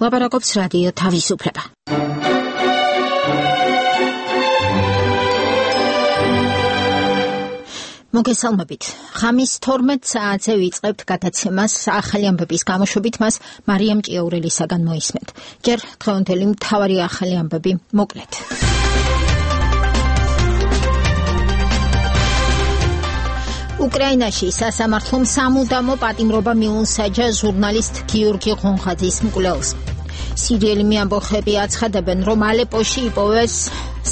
ლაპარაკობს რადიო თავისუფლება. მოგესალმებით. ხამის 12 საათზე ვიწყებთ გადაცემას ახალი ამბების გამოშვებით, მას მარიამ ჭიაურელისაგან მოისმენთ. ჯერ დღევანდელი მთავარი ახალი ამბები მოკლედ. უკრაინაში სასამართლომ სამუდამო პატიმრობა მიუსაჯა ჟურნალისტ გიორგი ღონღაძის მკვლელს. სირიელი ამბოხები აცხადებენ, რომ ალეპოში იპოვეს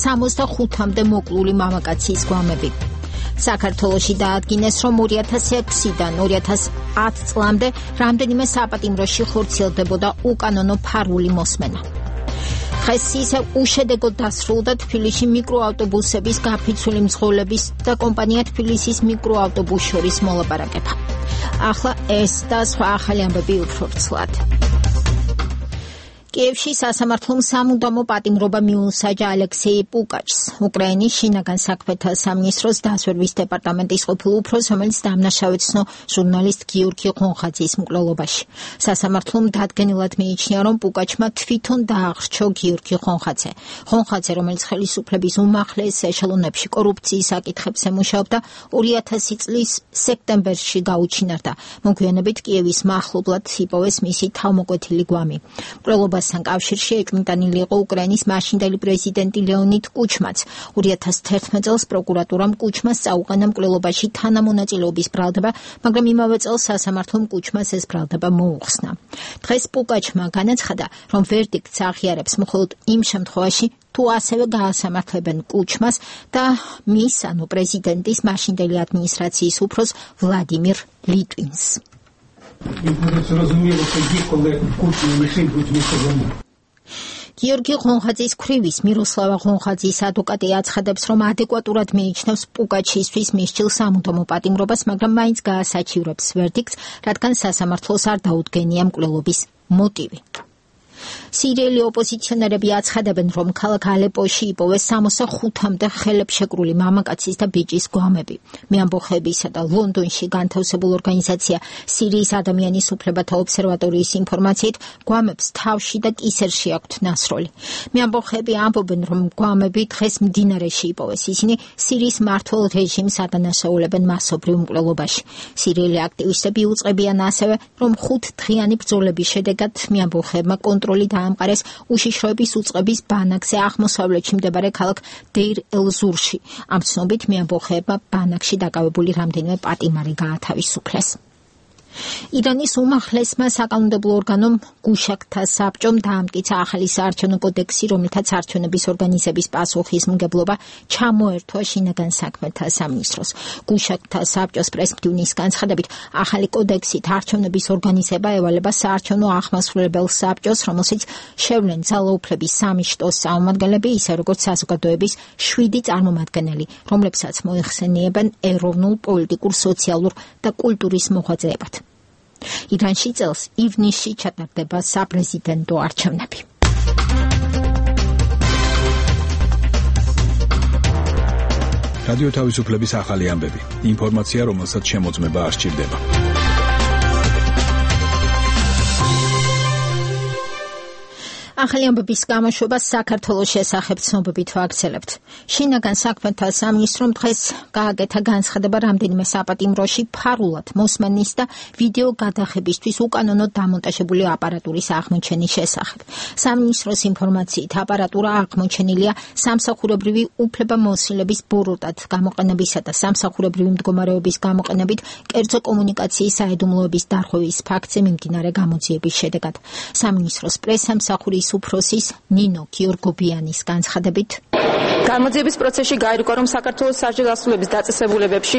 65-მდე მოკლული მამაკაცის გვამები. საქართველოში დაადგინეს, რომ 2006-დან 2010 წლამდე რამდენიმე საპატიმროში ხორციელდებოდა უკანონო ფარული მოსმენა. დღეს ისე უშედეგოდ დასრულდა თბილისში მიკროავტობუსების გაფიცველი მძღოლების და კომპანია თბილისის მიკროავტობუსს შორის მოლაპარაკება. ახლა ეს და სხვა ახალი ამბები უფრო ცვლად. კიევში სასამართლომ სამუდამო პატიმრობა მიუსაჯა ალექსეი პუკაჩს, უკრაინის შინაგან საქმეთა სამინისტროს დასვერვის დეპარტამენტის ყოფილ უფროსს, რომელიც დამნაშავეცნო ჟურნალისტ გიორგი ღონღაძის მკვლელობაში. სასამართლომ დადგენილად მიიჩნია, რომ პუკაჩმა თვითონ დაახრჩო გიორგი ღონღაძე. ღონღაძე, რომელიც ხელისუფლების უმაღლეს ეშელონებში კორუფციის საკითხებს ემუშაობდა, 2000 წლის სექტემბერში გაუჩინარდა. მოგვიანებით კიევის მახლობლად იპოვეს მისი თავმოკვეთილი გვამი. მკვლელობასთან კავშირში ეჭვმიტანილი იყო უკრაინის მაშინდელი პრეზიდენტი ლეონიდ კუჩმაც. 2011 წელს პროკურატურამ კუჩმას წაუყენა მკვლელობაში თანამონაწილეობის ბრალდება, მაგრამ იმავე წელს სასამართლომ კუჩმას ეს ბრალდება მოუხსნა. დღეს პუკაჩმა განაცხადა, რომ ვერდიქტს აღიარებს მხოლოდ იმ შემთხვევაში, თუ ასევე გაასამართლებენ კუჩმას და მის, ანუ პრეზიდენტის მაშინდელი ადმინისტრაციის უფროს ვლადიმირ ლიტვინს. გიორგი ღონღაძის ქვრივის მიროსლავა ღონღაძის ადვოკატი აცხადებს, რომ ადეკვატურად მიიჩნევს პუკაჩისთვის მისჯილ სამუდამო პატიმრობას, მაგრამ მაინც გაასაჩივრებს ვერდიქტს, რადგან სასამართლოს არ დაუდგენია მკვლელობის მოტივი. სირიელი ოპოზიციონერები აცხადებენ, რომ ქალაქ ალეპოში იპოვეს 65-მდე ხელებშეკრული მამაკაცის და ბიჭის გვამები. მეამბოხებისა და ლონდონში განთავსებულ ორგანიზაცია სირიის ადამიანის უფლებათა ობსერვატორიის ინფორმაციით, გვამებს თავში და კისერში აქვთ ნასროლი. მეამბოხები ამბობენ, რომ გვამები დღეს მდინარეში იპოვეს. ისინი სირიის მმართველ რეჟიმს ადანაშაულებენ მასობრივ მკვლელობაში. სირიელი აქტივისტები უწყებიან ასევე, რომ 5-დღიანი ბრძოლების შედეგად მეამბოხებმა კონტროლი დაამყარეს უშიშროების უწყების ბანაკზე აღმოსავლეთში მდებარე ქალაქ დეირ ელ-ზურში. ამ ცნობით მეამბოხეებმა ბანაკში დაკავებული რამდენიმე პატიმარი გაათავისუფლეს. ირანის უმაღლესმა საკანონმდებლო ორგანომ გუშაქთა საბჭომ დაამტკიცა ახალი საარჩევნო კოდექსი, რომლითაც არჩევნების ორგანიზების პასუხისმგებლობა ჩამოერთვა შინაგან საქმეთა სამინისტროს. გუშაქთა საბჭოს პრესმდივნის განცხადებით, ახალი კოდექსით არჩევნების ორგანიზება ევალება საარჩევნო აღმასრულებელ საბჭოს, რომელშიც შევლენ ძალაუფლების 3 შტოს წარმომადგენლები, ისე როგორც საზოგადოების 7 წარმომადგენელი, რომლებსაც მოიხსენიებენ ეროვნულ, პოლიტიკურ, სოციალურ და კულტურის მოღვაწეებად. ირანში წელს ივნისში ჩატარდება საპრეზიდენტო არჩევნები. რადიო თავისუფლების ახალი ამბები. ინფორმაცია, რომელსაც შემოწმება არ სჭირდება. ახალი ამბების გამოშვება საქართველოს შესახებ ცნობებით ვაგრძელებთ. შინაგან საქმეთა სამინისტრომ დღეს გააკეთა განცხადება რამდენიმე საპატიმროში ფარულად მოსმენის და ვიდეო გადახებისთვის უკანონოდ დამონტაჟებული აპარატურის აღმოჩენის შესახებ. სამინისტროს ინფორმაციით აპარატურა აღმოჩენილია სამსახურებრივი უფლებამოსილების ბოროტად გამოყენებისა და სამსახურებრივი მდგომარეობის გამოყენებით კერძო კომუნიკაციის საიდუმლოების დარღვევის ფაქტზე მიმდინარე გამოძიების შედეგად. სამინისტროს პრესამსახურის უფროსის ნინო გიორგობიანის განცხადებით, გამოძიების პროცესში გაირკვა, რომ საქართველოს სასჯელ დასრულების დაწესებულებებში,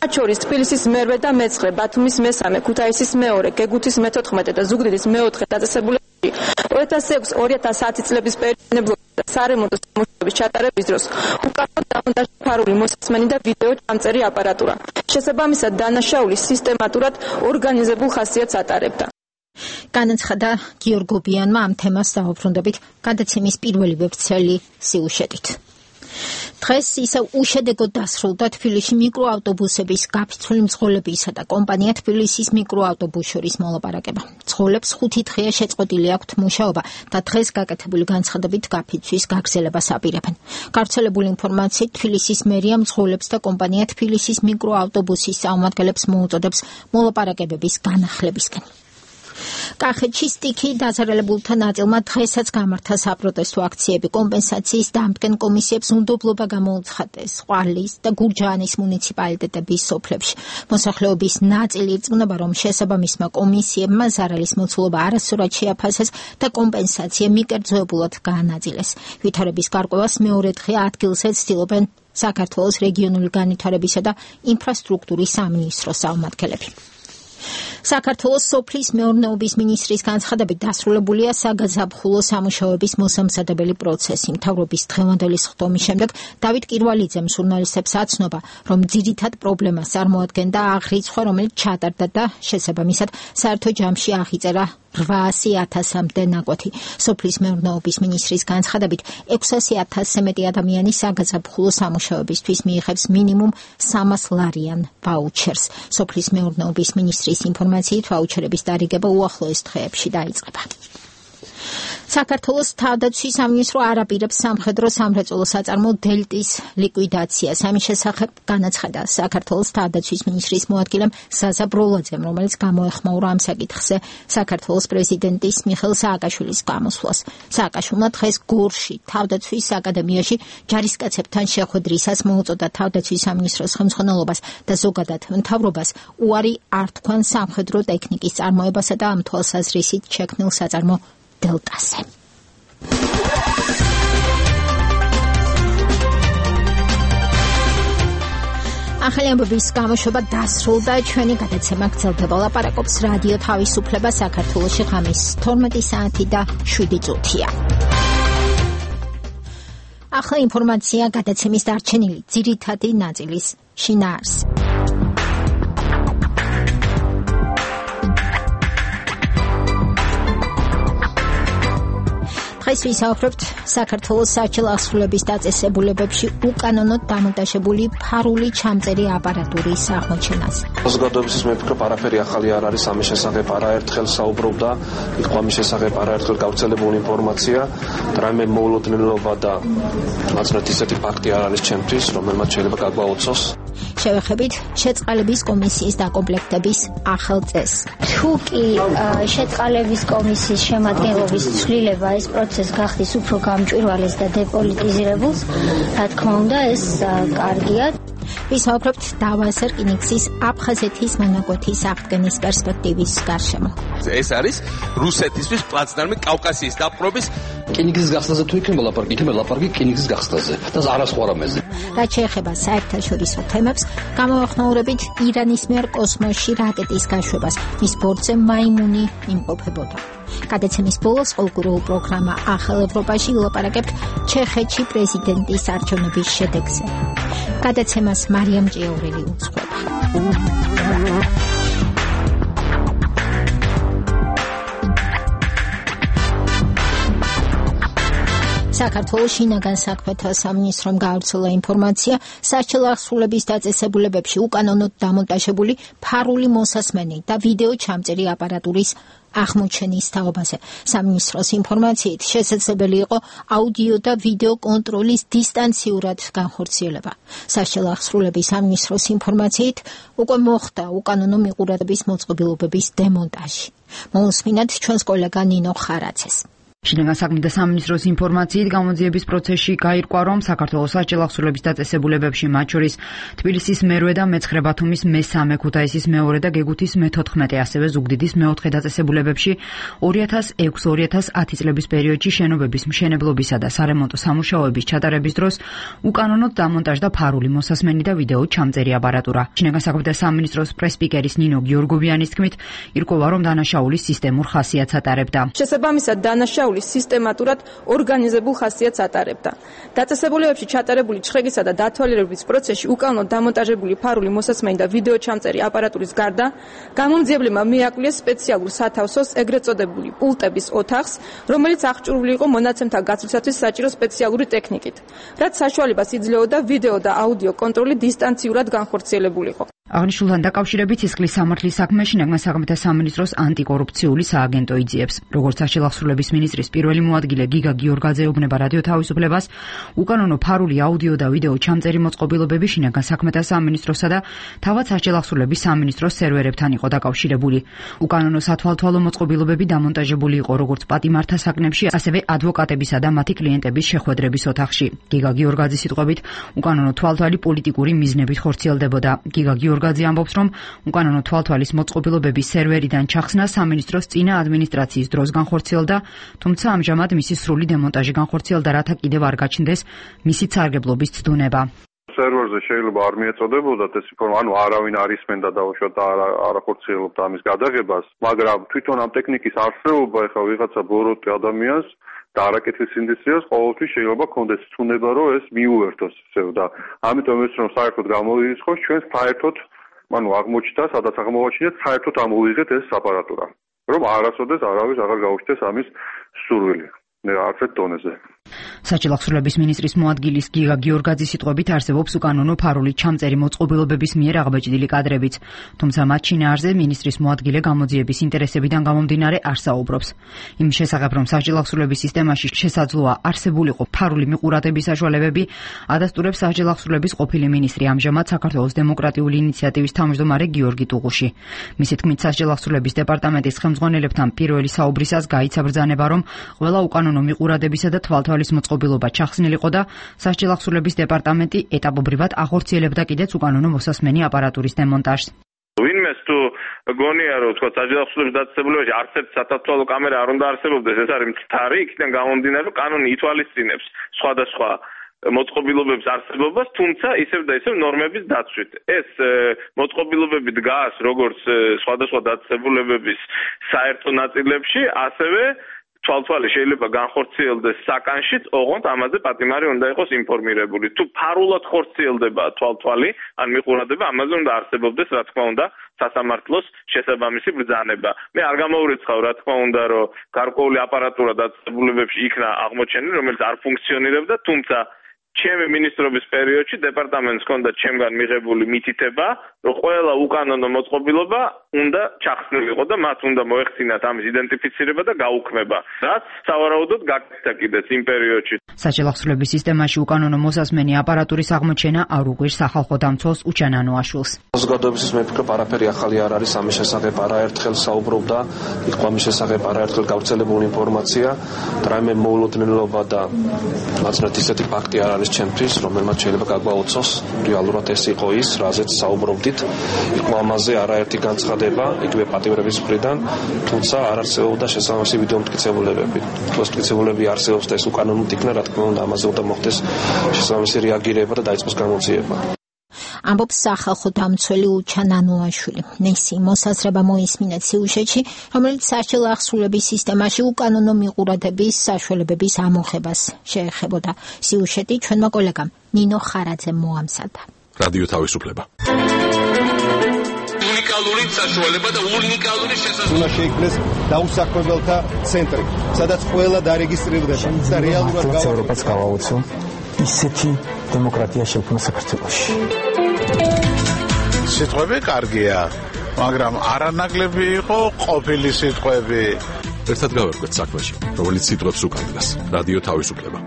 მათ შორის თბილისის მერვე და მეცხრე, ბათუმის მესამე, ქუთაისის მეორე, გეგუთის მე-14 და ზუგდიდის მე-4 დაწესებულებებში 2006-2010 წლების პერიოდში და სარემონტო სამუშაოების ჩატარების დროს უკანონოდ დამონტაჟდა ფარული მოსმენი და ვიდეო ჩამწერი აპარატურა. შესაბამისად, დანაშაული სისტემატურად ორგანიზებულ ხასიათს ატარებდა. განაცხადა გიორგობიანმა ამ თემას დაუბრუნდებით გადაცემის პირველი ვებწელი სიუჟეტით. დღეს ისევ უშედეგოდ დასრულდა თბილისში მიკროავტობუსების გაფიცველი მძღოლებისა და კომპანია თბილისის მიკროავტობუს შორის მოლაპარაკება. მძღოლებს 5 დღეა შეწყვეტილი აქვთ მუშაობა და დღეს გაკეთებული განცხადებით გაფიცვის გაგრძელებას აპირებენ. გავრცელებული ინფორმაციით თბილისის მერია მძღოლებს და კომპანია თბილისის მიკროავტობუსის წარმომადგენლებს მოუწოდებს მოლაპარაკებების განახლებისკენ. კახეთში სტიქი დაზარალებულთა ნაწილმა დღესაც გამართა საპროტესტო აქციები. კომპენსაციის დამდგენ კომისიებს უნდობლობა გამოუცხადეს ყვარლის და გურჯაანის მუნიციპალიტეტების სოფლებში. მოსახლეობის ნაწილი ირწმუნება, რომ შესაბამისმა კომისიებმა ზარალის მოცულობა არასწორად შეაფასეს და კომპენსაცია მიკერძოებულად გაანაწილეს. ვითარების გარკვევას მეორე დღე ადგილზე ცდილობენ საქართველოს რეგიონული განვითარებისა და ინფრასტრუქტურის სამინისტროს წარმომადგენლები. საქართველოს სოფლის მეურნეობის მინისტრის განცხადებით დასრულებულია საგაზაფხულო სამუშაოების მოსამზადებელი პროცესი. მთავრობის დღევანდელი სხდომის შემდეგ დავით კირვალიძემ ჟურნალისტებს აცნობა, რომ ძირითად პრობლემას წარმოადგენდა აღრიცხვა, რომელიც ჩატარდა და შესაბამისად საერთო ჯამში აღიწერა 800,000-მდე ნაკვეთი. სოფლის მეურნეობის მინისტრის განცხადებით 600,000-ზე მეტი ადამიანი საგაზაფხულო სამუშაოებისთვის მიიღებს მინიმუმ 300 ლარიან ვაუჩერს. სოფლის მეურნეობის მინისტრის ინფორმაციით ვაუჩერების დარიგება უახლოეს დღეებში დაიწყება. საქართველოს თავდაცვის სამინისტრო არ აპირებს სამხედრო სამრეწველო საწარმო დელტის ლიკვიდაციას. ამის შესახებ განაცხადა საქართველოს თავდაცვის მინისტრის მოადგილემ ზაზა ბროლაძემ, რომელიც გამოეხმაურა ამ საკითხზე საქართველოს პრეზიდენტის მიხეილ სააკაშვილის გამოსვლას. სააკაშვილმა დღეს გორში თავდაცვის აკადემიაში ჯარისკაცებთან შეხვედრისას მოუწოდა თავდაცვის სამინისტროს ხელმძღვანელობას და ზოგადად მთავრობას უარი არ თქვან სამხედრო ტექნიკის წარმოებასა და ამ თვალსაზრისით შექმნილ საწარმო დელტაზე. ახალი ამბების გამოშვება დასრულდა. ჩვენი გადაცემა გრძელდება. ლაპარაკობს რადიო თავისუფლება საქართველოში ღამის 12 საათი და 7 წუთია. ახლა ინფორმაცია გადაცემის დარჩენილი ძირითადი ნაწილის შინაარსზე. დღეს ვისაუბრებთ საქართველოს საჭირო აღსრულების დაწესებულებებში უკანონოდ დამონტაჟებული ფარული ჩამწერი აპარატურის აღმოჩენაზე. საზოგადოებისთვის მე ვფიქრობ, არაფერი ახალი არ არის ამის შესახებ, არაერთხელ საუბრობდა, იყო ამის შესახებ არაერთხელ გავრცელებული ინფორმაცია, რაიმე მოულოდნელობა და მაცნეთ ისეთი ფაქტი არ არის ჩემთვის, რომელმაც შეიძლება გაგვაოცოს. შევეხებით შეწყალების კომისიის დაკომპლექტების ახალ წესს. თუ კი შეწყალების კომისიის შემადგენლობის ცვლილება ეს პროცესი გახდის უფრო გამჭვირვალეს და დეპოლიტიზირებულს, რა თქმა უნდა, ეს კარგია. ვისაუბრებთ დავას რკინიგზის აფხაზეთის მონაკვეთის აღდგენის პერსპექტივის გარშემო. ეს არის რუსეთისთვის პლაცდარმი კავკასიის დაპყრობის რკინიგზის გახსნაზე თუ იქნება ლაპარაკი, იქნება ლაპარაკი რკინიგზის გახსნაზე და არასხვარამეზე. რაც შეეხება საერთაშორისო თემებს, გამოახმაურებით ირანის მიერ კოსმოსში რაკეტის გაშვებას, მის ბორცზე მაიმუნი იმყოფებოდა. გადაცემის ბოლოს ყოველკვირეულ პროგრამა ახალ ევროპაში ვილაპარაკებთ ჩეხეთში პრეზიდენტის არჩევნების შედეგზე. გადაცემას მარიამ ჭიაურელი უძღვება. საქართველოს შინაგან საქმეთა სამინისტრომ გაავრცელა ინფორმაცია, საჭირო აღსრულების დაწესებულებებში უკანონოდ დამონტაჟებული ფარული მოსასმენი და ვიდეო ჩამწერი აპარატურის აღმოჩენის თაობაზე. სამინისტროს ინფორმაციით შესაძლებელი იყო აუდიო და ვიდეო კონტროლის დისტანციურად განხორციელება. საჭირო აღსრულების სამინისტროს ინფორმაციით უკვე მოხდა უკანონო მიყურადების მოწყობილობების დემონტაჟი. მოусმინათ ჩვენს კოლეგა ნინო ხარაცეს. შინაგან საქმეთა სამინისტროს ინფორმაციით გამოძიების პროცესში გაირკვა, რომ საქართველოს საჭირო აღსრულების დაწესებულებებში, მათ შორის თბილისის მერვე და მეცხრე ბათუმის მესამე, ქუთაისის მეორე და გეგუთის მე-14, ასევე ზუგდიდის მე-4 დაწესებულებებში 2006-2010 წლების პერიოდში შენობების მშენებლობისა და სარემონტო სამუშაოების ჩატარების დროს უკანონოდ დამონტაჟდა ფარული მოსასმენი და ვიდეო ჩამწერი აპარატურა. შინაგან საქმეთა სამინისტროს პრესპიკერის ნინო გიორგოვიანის თქმით, ირკვევა, რომ დანაშაულის სისტემურ ხასიათს ატარებდა. შესაბამისად, დანაშაული შესწავლის სისტემატურად ორგანიზებულ ხასიათს ატარებდა. დაწესებულებებში ჩატარებული ჩხრეგისა და დათვალიერების პროცესში უკანონოდ დამონტაჟებული ფარული მოსასმენი და ვიდეო ჩამწერი აპარატურის გარდა გამომძიებლებმა მიაკვლიეს სპეციალურ სათავსოს ეგრეთ წოდებული პულტების ოთახს, რომელიც აღჭურვილი იყო მონაცემთა გაცვლისათვის საჭირო სპეციალური ტექნიკით, რაც საშუალებას იძლეოდა ვიდეო და აუდიო კონტროლი დისტანციურად განხორციელებულიყო. აღნიშნულთან დაკავშირებით სისხლის სამართლის საქმე შინაგან საქმეთა სამინისტროს ანტიკორუფციული სააგენტო იძიებს. როგორც სახელმწიფოების მინისტრის პირველი მოადგილე გიგა გიორგაძე ეუბნება რადიო თავისუფლებას, უკანონო ფარული აუდიო და ვიდეო ჩამწერი მოწყობილობები შინაგან საქმეთა სამინისტროსა და თავად სახელმწიფოების სამინისტროს სერვერებთან იყო დაკავშირებული. უკანონო სათვალთვალო მოწყობილობები დამონტაჟებული იყო როგორც პატიმართა საკნებში, ასევე ადვოკატებისა და მათი კლიენტების შეხვედრების ოთახში. გიგა გიორგაძის სიტყვებით, უკანონო თვალთვალი პოლიტიკური მიზნებით ხორციელდებოდა. გიგა გიორგაძე ამბობს, რომ უკანონო თვალთვალის მოწყობილობების სერვერიდან ჩახსნა სამინისტროს წინა ადმინისტრაციის დროს განხორციელდა, თუმცა ამჟამად მისი სრული დემონტაჟი განხორციელდა, რათა კიდევ არ გაჩნდეს მისი სარგებლობის ცდუნება. სერვერზე შეიძლება არ მიეწოდებოდათ ეს ანუ არავინ არ ისმენდა დაუშვათ და არ ახორციელებდა ამის გადაღებას, მაგრამ თვითონ ამ ტექნიკის არსებობა ეხლა ვიღაცა ბოროტი ადამიანს და არაკეთილ სინდისტრიას ყოველთვის შეიძლება ქონდეს ცუნება, რომ ეს მიუერთოს ისევ და ამიტომ ეს რომ საერთოდ გამოირიცხოს ჩვენს საერთოდ აღმოჩნდა, სადაც აღმოვაჩინეთ, საერთოდ ამოვიღეთ ეს აპარატურა, რომ არასოდეს არავის აღარ გაუჩნდეს ამის სურვილი. არცერთ დონეზე. საჭილახსრულების მინისტრის მოადგილის გიგა გიორგაძის სიტყვებით არსებობს უკანონო ფარული ჩამწერი მოწყობილობების მიერ აღბეჭდილი კადრებიც, თუმცა მათ შინაარსზე მინისტრის მოადგილე გამოძიების ინტერესებიდან გამომდინარე არ საუბრობს. იმის შესახებ, რომ საჭილახსრულების სისტემაში შესაძლოა არსებულიყო ფარული მიყურადების საშუალებები, ადასტურებს საჭილახსრულების ყოფილი მინისტრი ამჟამად საქართველოს დემოკრატიული ინიციატივის თავმჯდომარე გიორგი ტუღუში. მისი თქმით, საჭილახსრულების დეპარტამენტის ხელმძღვანელებთან პირველი საუბრისას გაიცა ბრძანება, რომ ყველა უკანონო მიყურადებისა და თვალთვალის მოწყობილობა ჩახსნილიყო და საჭილახსრულების დეპარტამენტი ეტაპობრივად ახორციელებდა კიდეც უკანონო მოსასმენი აპარატურის დემონტაჟს. ვინმეს თუ გონია რომ თქვა საჭილახსრულების დაწესებულებაში არცერთ სათვალთვალო კამერა არ უნდა არსებობდეს, ეს არის მცდარი, იქიდან გამომდინარე, რომ კანონი ითვალისწინებს სხვადასხვა მოწყობილობების არსებობას, თუმცა ისევ და ისევ ნორმების დაცვით. ეს მოწყობილობები დგას როგორც სხვადასხვა დაწესებულებების საერთო ნაწილებში, ასევე თვალთვალი შეიძლება განხორციელდეს საკანშიც, ოღონდ ამაზე პატიმარი უნდა იყოს ინფორმირებული. თუ ფარულად ხორციელდება თვალთვალი, ან მიყურადება, ამაზე უნდა არსებობდეს, რა თქმა უნდა, სასამართლოს შესაბამისი ბრძანება. მე არ გამოურიცხავ, რა თქმა უნდა, რომ გარკვეული აპარატურა დაწესებულებებში იქნა აღმოჩენილი, რომელიც არ ფუნქციონირებდა, თუმცა ჩემი მინისტრობის პერიოდში დეპარტამენტს ჰქონდა ჩემგან მიღებული მითითება, რომ ყველა უკანონო მოწყობილობა უნდა ჩახსნილიყო და მათ უნდა მოეხსინათ ამის იდენტიფიცირება და გაუქმება, რაც სავარაუდოდ გაკეთდა კიდეც იმ პერიოდში. საჭილახსრულების სისტემაში უკანონო მოსასმენი აპარატურის აღმოჩენა არ უყვირს სახალხო დამცველს უჩან ანუაშვილს. საზოგადოებისთვის მე ვფიქრობ, არაფერი ახალი არ არის ამის შესახებ, არაერთხელ საუბრობდა, იყო ამის შესახებ არაერთხელ გავრცელებული ინფორმაცია, რაიმე მოულოდნელობა და მაცნეთ ისეთი ფაქტი არ არის ჩემთვის, რომელმაც შეიძლება გაგვაოცოს. რეალურად ეს იყო ის, რაზეც საუბრობდით. იყო ამაზე არაერთი განცხადება, იგივე პატიმრების მხრიდან, თუმცა არ არსებობდა შესაბამისი ვიდეო მტკიცებულებები. თუ ეს მტკიცებულებები არსებობს და ეს უკანონოდ იქნა, რა თქმა უნდა, ამაზე უნდა მოხდეს შესაბამისი რეაგირება და დაიწყოს გამოძიება. ამბობს სახალხო დამცველი უჩან ანუაშვილი. ნესი მოსაზრება მოისმინეთ სიუჟეტში, რომელიც საჭილახსრულების სისტემაში უკანონო მიყურადების საშუალებების ამოღებას შეეხებოდა. სიუჟეტი ჩვენმა კოლეგამ ნინო ხარაძემ მოამზადა. რადიო თავისუფლება. უნიკალური საშუალება და უნიკალური შესაძლებლობა. უნდა შეიქმნეს დაუსაქმებელთა ცენტრი, სადაც ყველა დარეგისტრირდება და რეალურად ევროპას გავაოცო ისეთი დემოკრატია შექმნა საქართველოში. სიტყვები კარგია, მაგრამ არანაკლები იყო ყოფილი სიტყვები. ერთად გავერკვეთ საქმეში, რომელიც სიტყვებს უკანდას. რადიო თავისუფლება.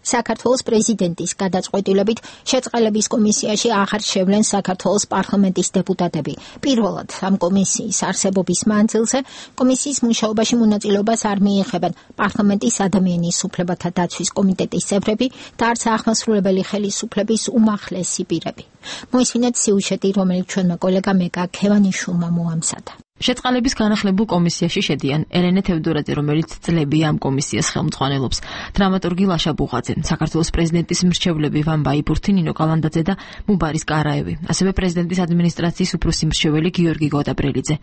საქართველოს პრეზიდენტის გადაწყვეტილებით შეწყალების კომისიაში აღარ შევლენ საქართველოს პარლამენტის დეპუტატები. პირველად ამ კომისიის არსებობის მანძილზე კომისიის მუშაობაში მონაწილეობას არ მიიღებენ პარლამენტის ადამიანის უფლებათა დაცვის კომიტეტის წევრები და არც აღმასრულებელი ხელისუფლების უმაღლესი პირები. მოისმინეთ სიუჟეტი, რომელიც ჩვენმა კოლეგამ მეკა ქევანიშვილმა მოამზადა. შეწყალების განახლებულ კომისიაში შედიან ელენე თევდორაძე, რომელიც წლებია ამ კომისიას ხელმძღვანელობს, დრამატურგი ლაშა ბუღაძე, საქართველოს პრეზიდენტის მრჩევლები ვან ბაიბურთი, ნინო კალანდაძე და მუბარის კარაევი, ასევე პრეზიდენტის ადმინისტრაციის უფროსი მრჩეველი გიორგი გოდაბრელიძე,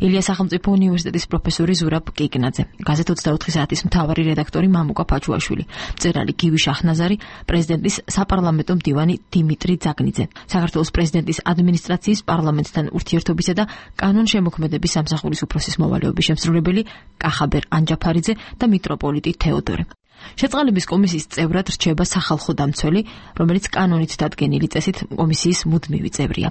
ილია სახელმწიფო უნივერსიტეტის პროფესორი ზურაბ კიკნაძე, გაზეთ 24 საათის მთავარი რედაქტორი მამუკა ფაჩუაშვილი, მწერალი გივი შაჰნაზარი, პრეზიდენტის საპარლამენტო მდივანი დიმიტრი ძაგნიძე, საქართველოს პრეზიდენტის ადმინისტრაციის პარლამენტთან ურთიერთობისა და კანონშემოქმედების სამსახურის უფროსის მოვალეობის შემსრულებელი კახაბერ ანჯაფარიძე და მიტროპოლიტი თეოდორე. შეწყალების კომისიის წევრად რჩება სახალხო დამცველი, რომელიც კანონით დადგენილი წესით კომისიის მუდმივი წევრია.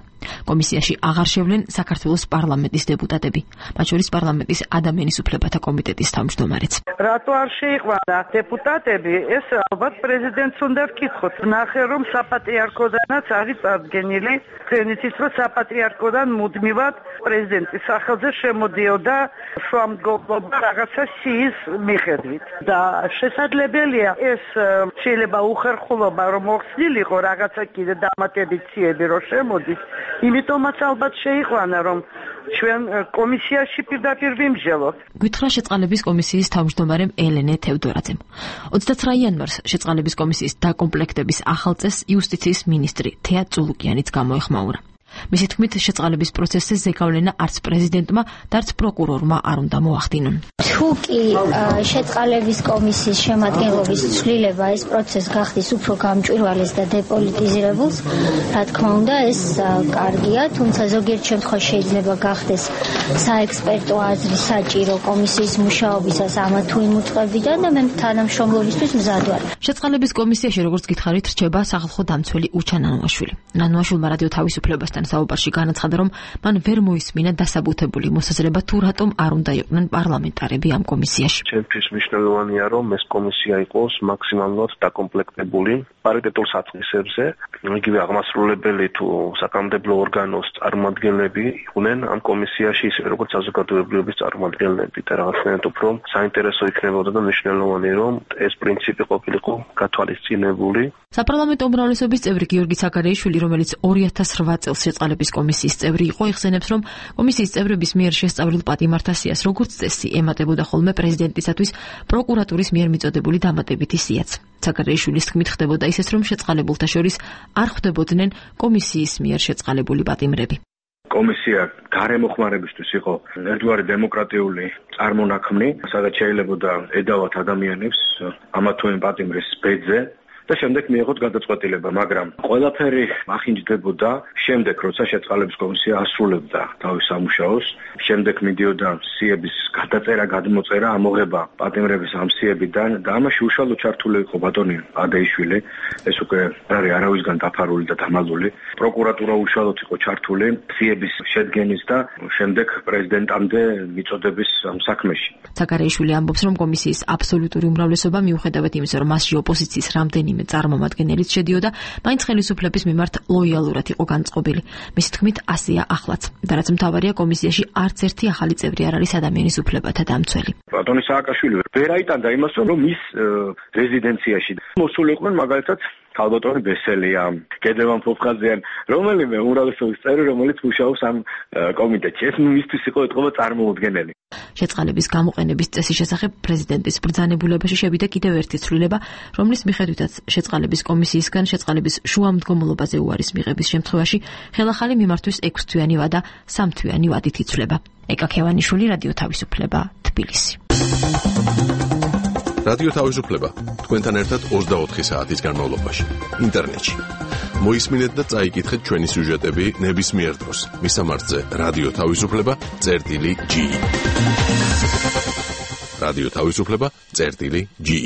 კომისიაში აღარ შევლენ საქართველოს პარლამენტის დეპუტატები, მათ შორის პარლამენტის ადამიანის უფლებათა კომიტეტის თავმჯდომარეც. რატო არ შეიყვანა დეპუტატები? ეს ალბათ პრეზიდენტს უნდა ვკითხოთ. ნახე რომ საპატრიარქოდანაც არის წარდგენილი, თენიცის რომ საპატრიარქოდან მუდმივად პრეზიდენტის სახელზე შემოდიოდა შუამდგომლობა რაღაცა სიის მიხედვით და შესაძლებელია ეს შეიძლება უხერხულობა რომ მოხსნილიყო რაღაცა კიდე დამატებით ციები რომ შემოდის, იმიტომაც ალბათ შეიყვანა რომ ჩვენ კომისიაში პირდაპირ ვიმსჯელოთ. გითხრა შეწყალების კომისიის თავმჯდომარემ ელენე თევდორაძემ. 29 იანვარს შეწყალების კომისიის დაკომპლექტების ახალ წესს იუსტიციის მინისტრი თეა წულუკიანიც გამოეხმაურა. მისი თქმით, შეწყალების პროცესზე ზეგავლენა არც პრეზიდენტმა და არც პროკურორმა არ უნდა მოახდინონ. თუ კი შეწყალების კომისიის შემადგენლობის ცვლილება ეს პროცესს გახდის უფრო გამჭვირვალეს და დეპოლიტიზირებულს, რა თქმა უნდა, ეს კარგია, თუმცა ზოგიერთ შემთხვევაში შეიძლება გახდეს საექსპერტო აზრი საჭირო კომისიის მუშაობისას ამა თუ იმ უწყებიდან და მე თანამშრომლობისთვის მზად ვარ. შეწყალების კომისიაში, როგორც გითხარით, რჩება სახალხო დამცველი უჩა ნანუაშვილი. ნანუაშვილმა რადიო თავისუფლებასთან საუბარში განაცხადა, რომ მან ვერ მოისმინა დასაბუთებული მოსაზრება თუ რატომ არ უნდა იყვნენ პარლამენტარები ამ კომისიაში. ჩემთვის მნიშვნელოვანია, რომ ეს კომისია იყოს მაქსიმალურად დაკომპლექტებული პარიტეტულ სათნისებზე, იგივე აღმასრულებელი თუ საკანონმდებლო ორგანოს წარმომადგენლები იყვნენ ამ კომისიაში, ისე როგორც საზოგადოებრივების წარმომადგენლები და რაღაცნაირად უფრო საინტერესო იქნებოდა და მნიშვნელოვანი, რომ ეს პრინციპი ყოფილიყო გათვალისწინებული. საპარლამენტო უმრავლესობის წევრი გიორგი საგარეიშვილი, რომელიც 2008 წელს შეწყალების კომისიის წევრი იყო, იხსენებს, რომ კომისიის წევრების მიერ შესწავლილ პატიმართასიას როგორც წესი ემატებოდა ხოლმე პრეზიდენტისათვის პროკურატურის მიერ მიწოდებული დამატებითი სიაც. საგარეიშვილის თქმით, ხდებოდა ისეც, რომ შეწყალებულთა შორის არ ხვდებოდნენ კომისიის მიერ შეწყალებული პატიმრები. კომისია გარემოხმარებისთვის იყო ერთგვარი დემოკრატიული წარმონაქმნი, სადაც შეიძლებოდა ედავათ ადამიანებს ამა თუ იმ პატიმრის ბედზე და შემდეგ მიიღოთ გადაწყვეტილება, მაგრამ ყველაფერი ახინჯდებოდა შემდეგ, როცა შეწყალების კომისია ასრულებდა თავის სამუშაოს, შემდეგ მიდიოდა სიების გადაწერა, გადმოწერა, ამოღება პატიმრების ამ სიებიდან და ამაში უშუალოდ ჩართული იყო ბატონი ადეიშვილი, ეს უკვე არის არავისგან დაფარული და დამალული. პროკურატურა უშუალოდ იყო ჩართული სიების შედგენის და შემდეგ პრეზიდენტამდე მიწოდების საქმეში. საგარეიშვილი ამბობს, რომ კომისიის აბსოლუტური უმრავლესობა მიუხედავად იმისა, რომ მასში ოპოზიციის რამდენიმე წარმომადგენელიც შედიოდა, მაინც ხელისუფლების მიმართ ლოიალურად იყო განწყობილი. მისი თქმით, ასეა ახლაც. და რაც მთავარია, კომისიაში არც ერთი ახალი წევრი არ არის ადამიანის უფლებათა დამცველი. ბატონი სააკაშვილი ვერ აიტანდა იმას, რომ მის რეზიდენციაში მოსული იყვნენ მაგალითად ქალბატონი ბესელია, გედევან ფოფხაძეან, რომელიმე უმრავლესობის წევრი, რომელიც მუშაობს ამ კომიტეტში. ეს მისთვის იყო ეთყობა წარმოუდგენელი. შეწყალების გამოყენების წესის შესახებ პრეზიდენტის ბრძანებულებაში შევიდა კიდევ ერთი ცვლილება, რომლის მიხედვითაც შეწყალების კომისიისგან შეწყალების შუამდგომლობაზე უარის მიღების შემთხვევაში ხელახალი მიმართვის 6 თვიანი ვადა 3 თვიანი ვადით იცვლება. ეკა ქევანიშვილი, რადიო თავისუფლება, თბილისი. რადიო თავისუფლება თქვენთან ერთად 24 საათის განმავლობაში ინტერნეტში. მოისმინეთ და წაიკითხეთ ჩვენი სიუჟეტები ნებისმიერ დროს. მისამართზე რადიო თავისუფლება.ge. რადიო თავისუფლება.ge.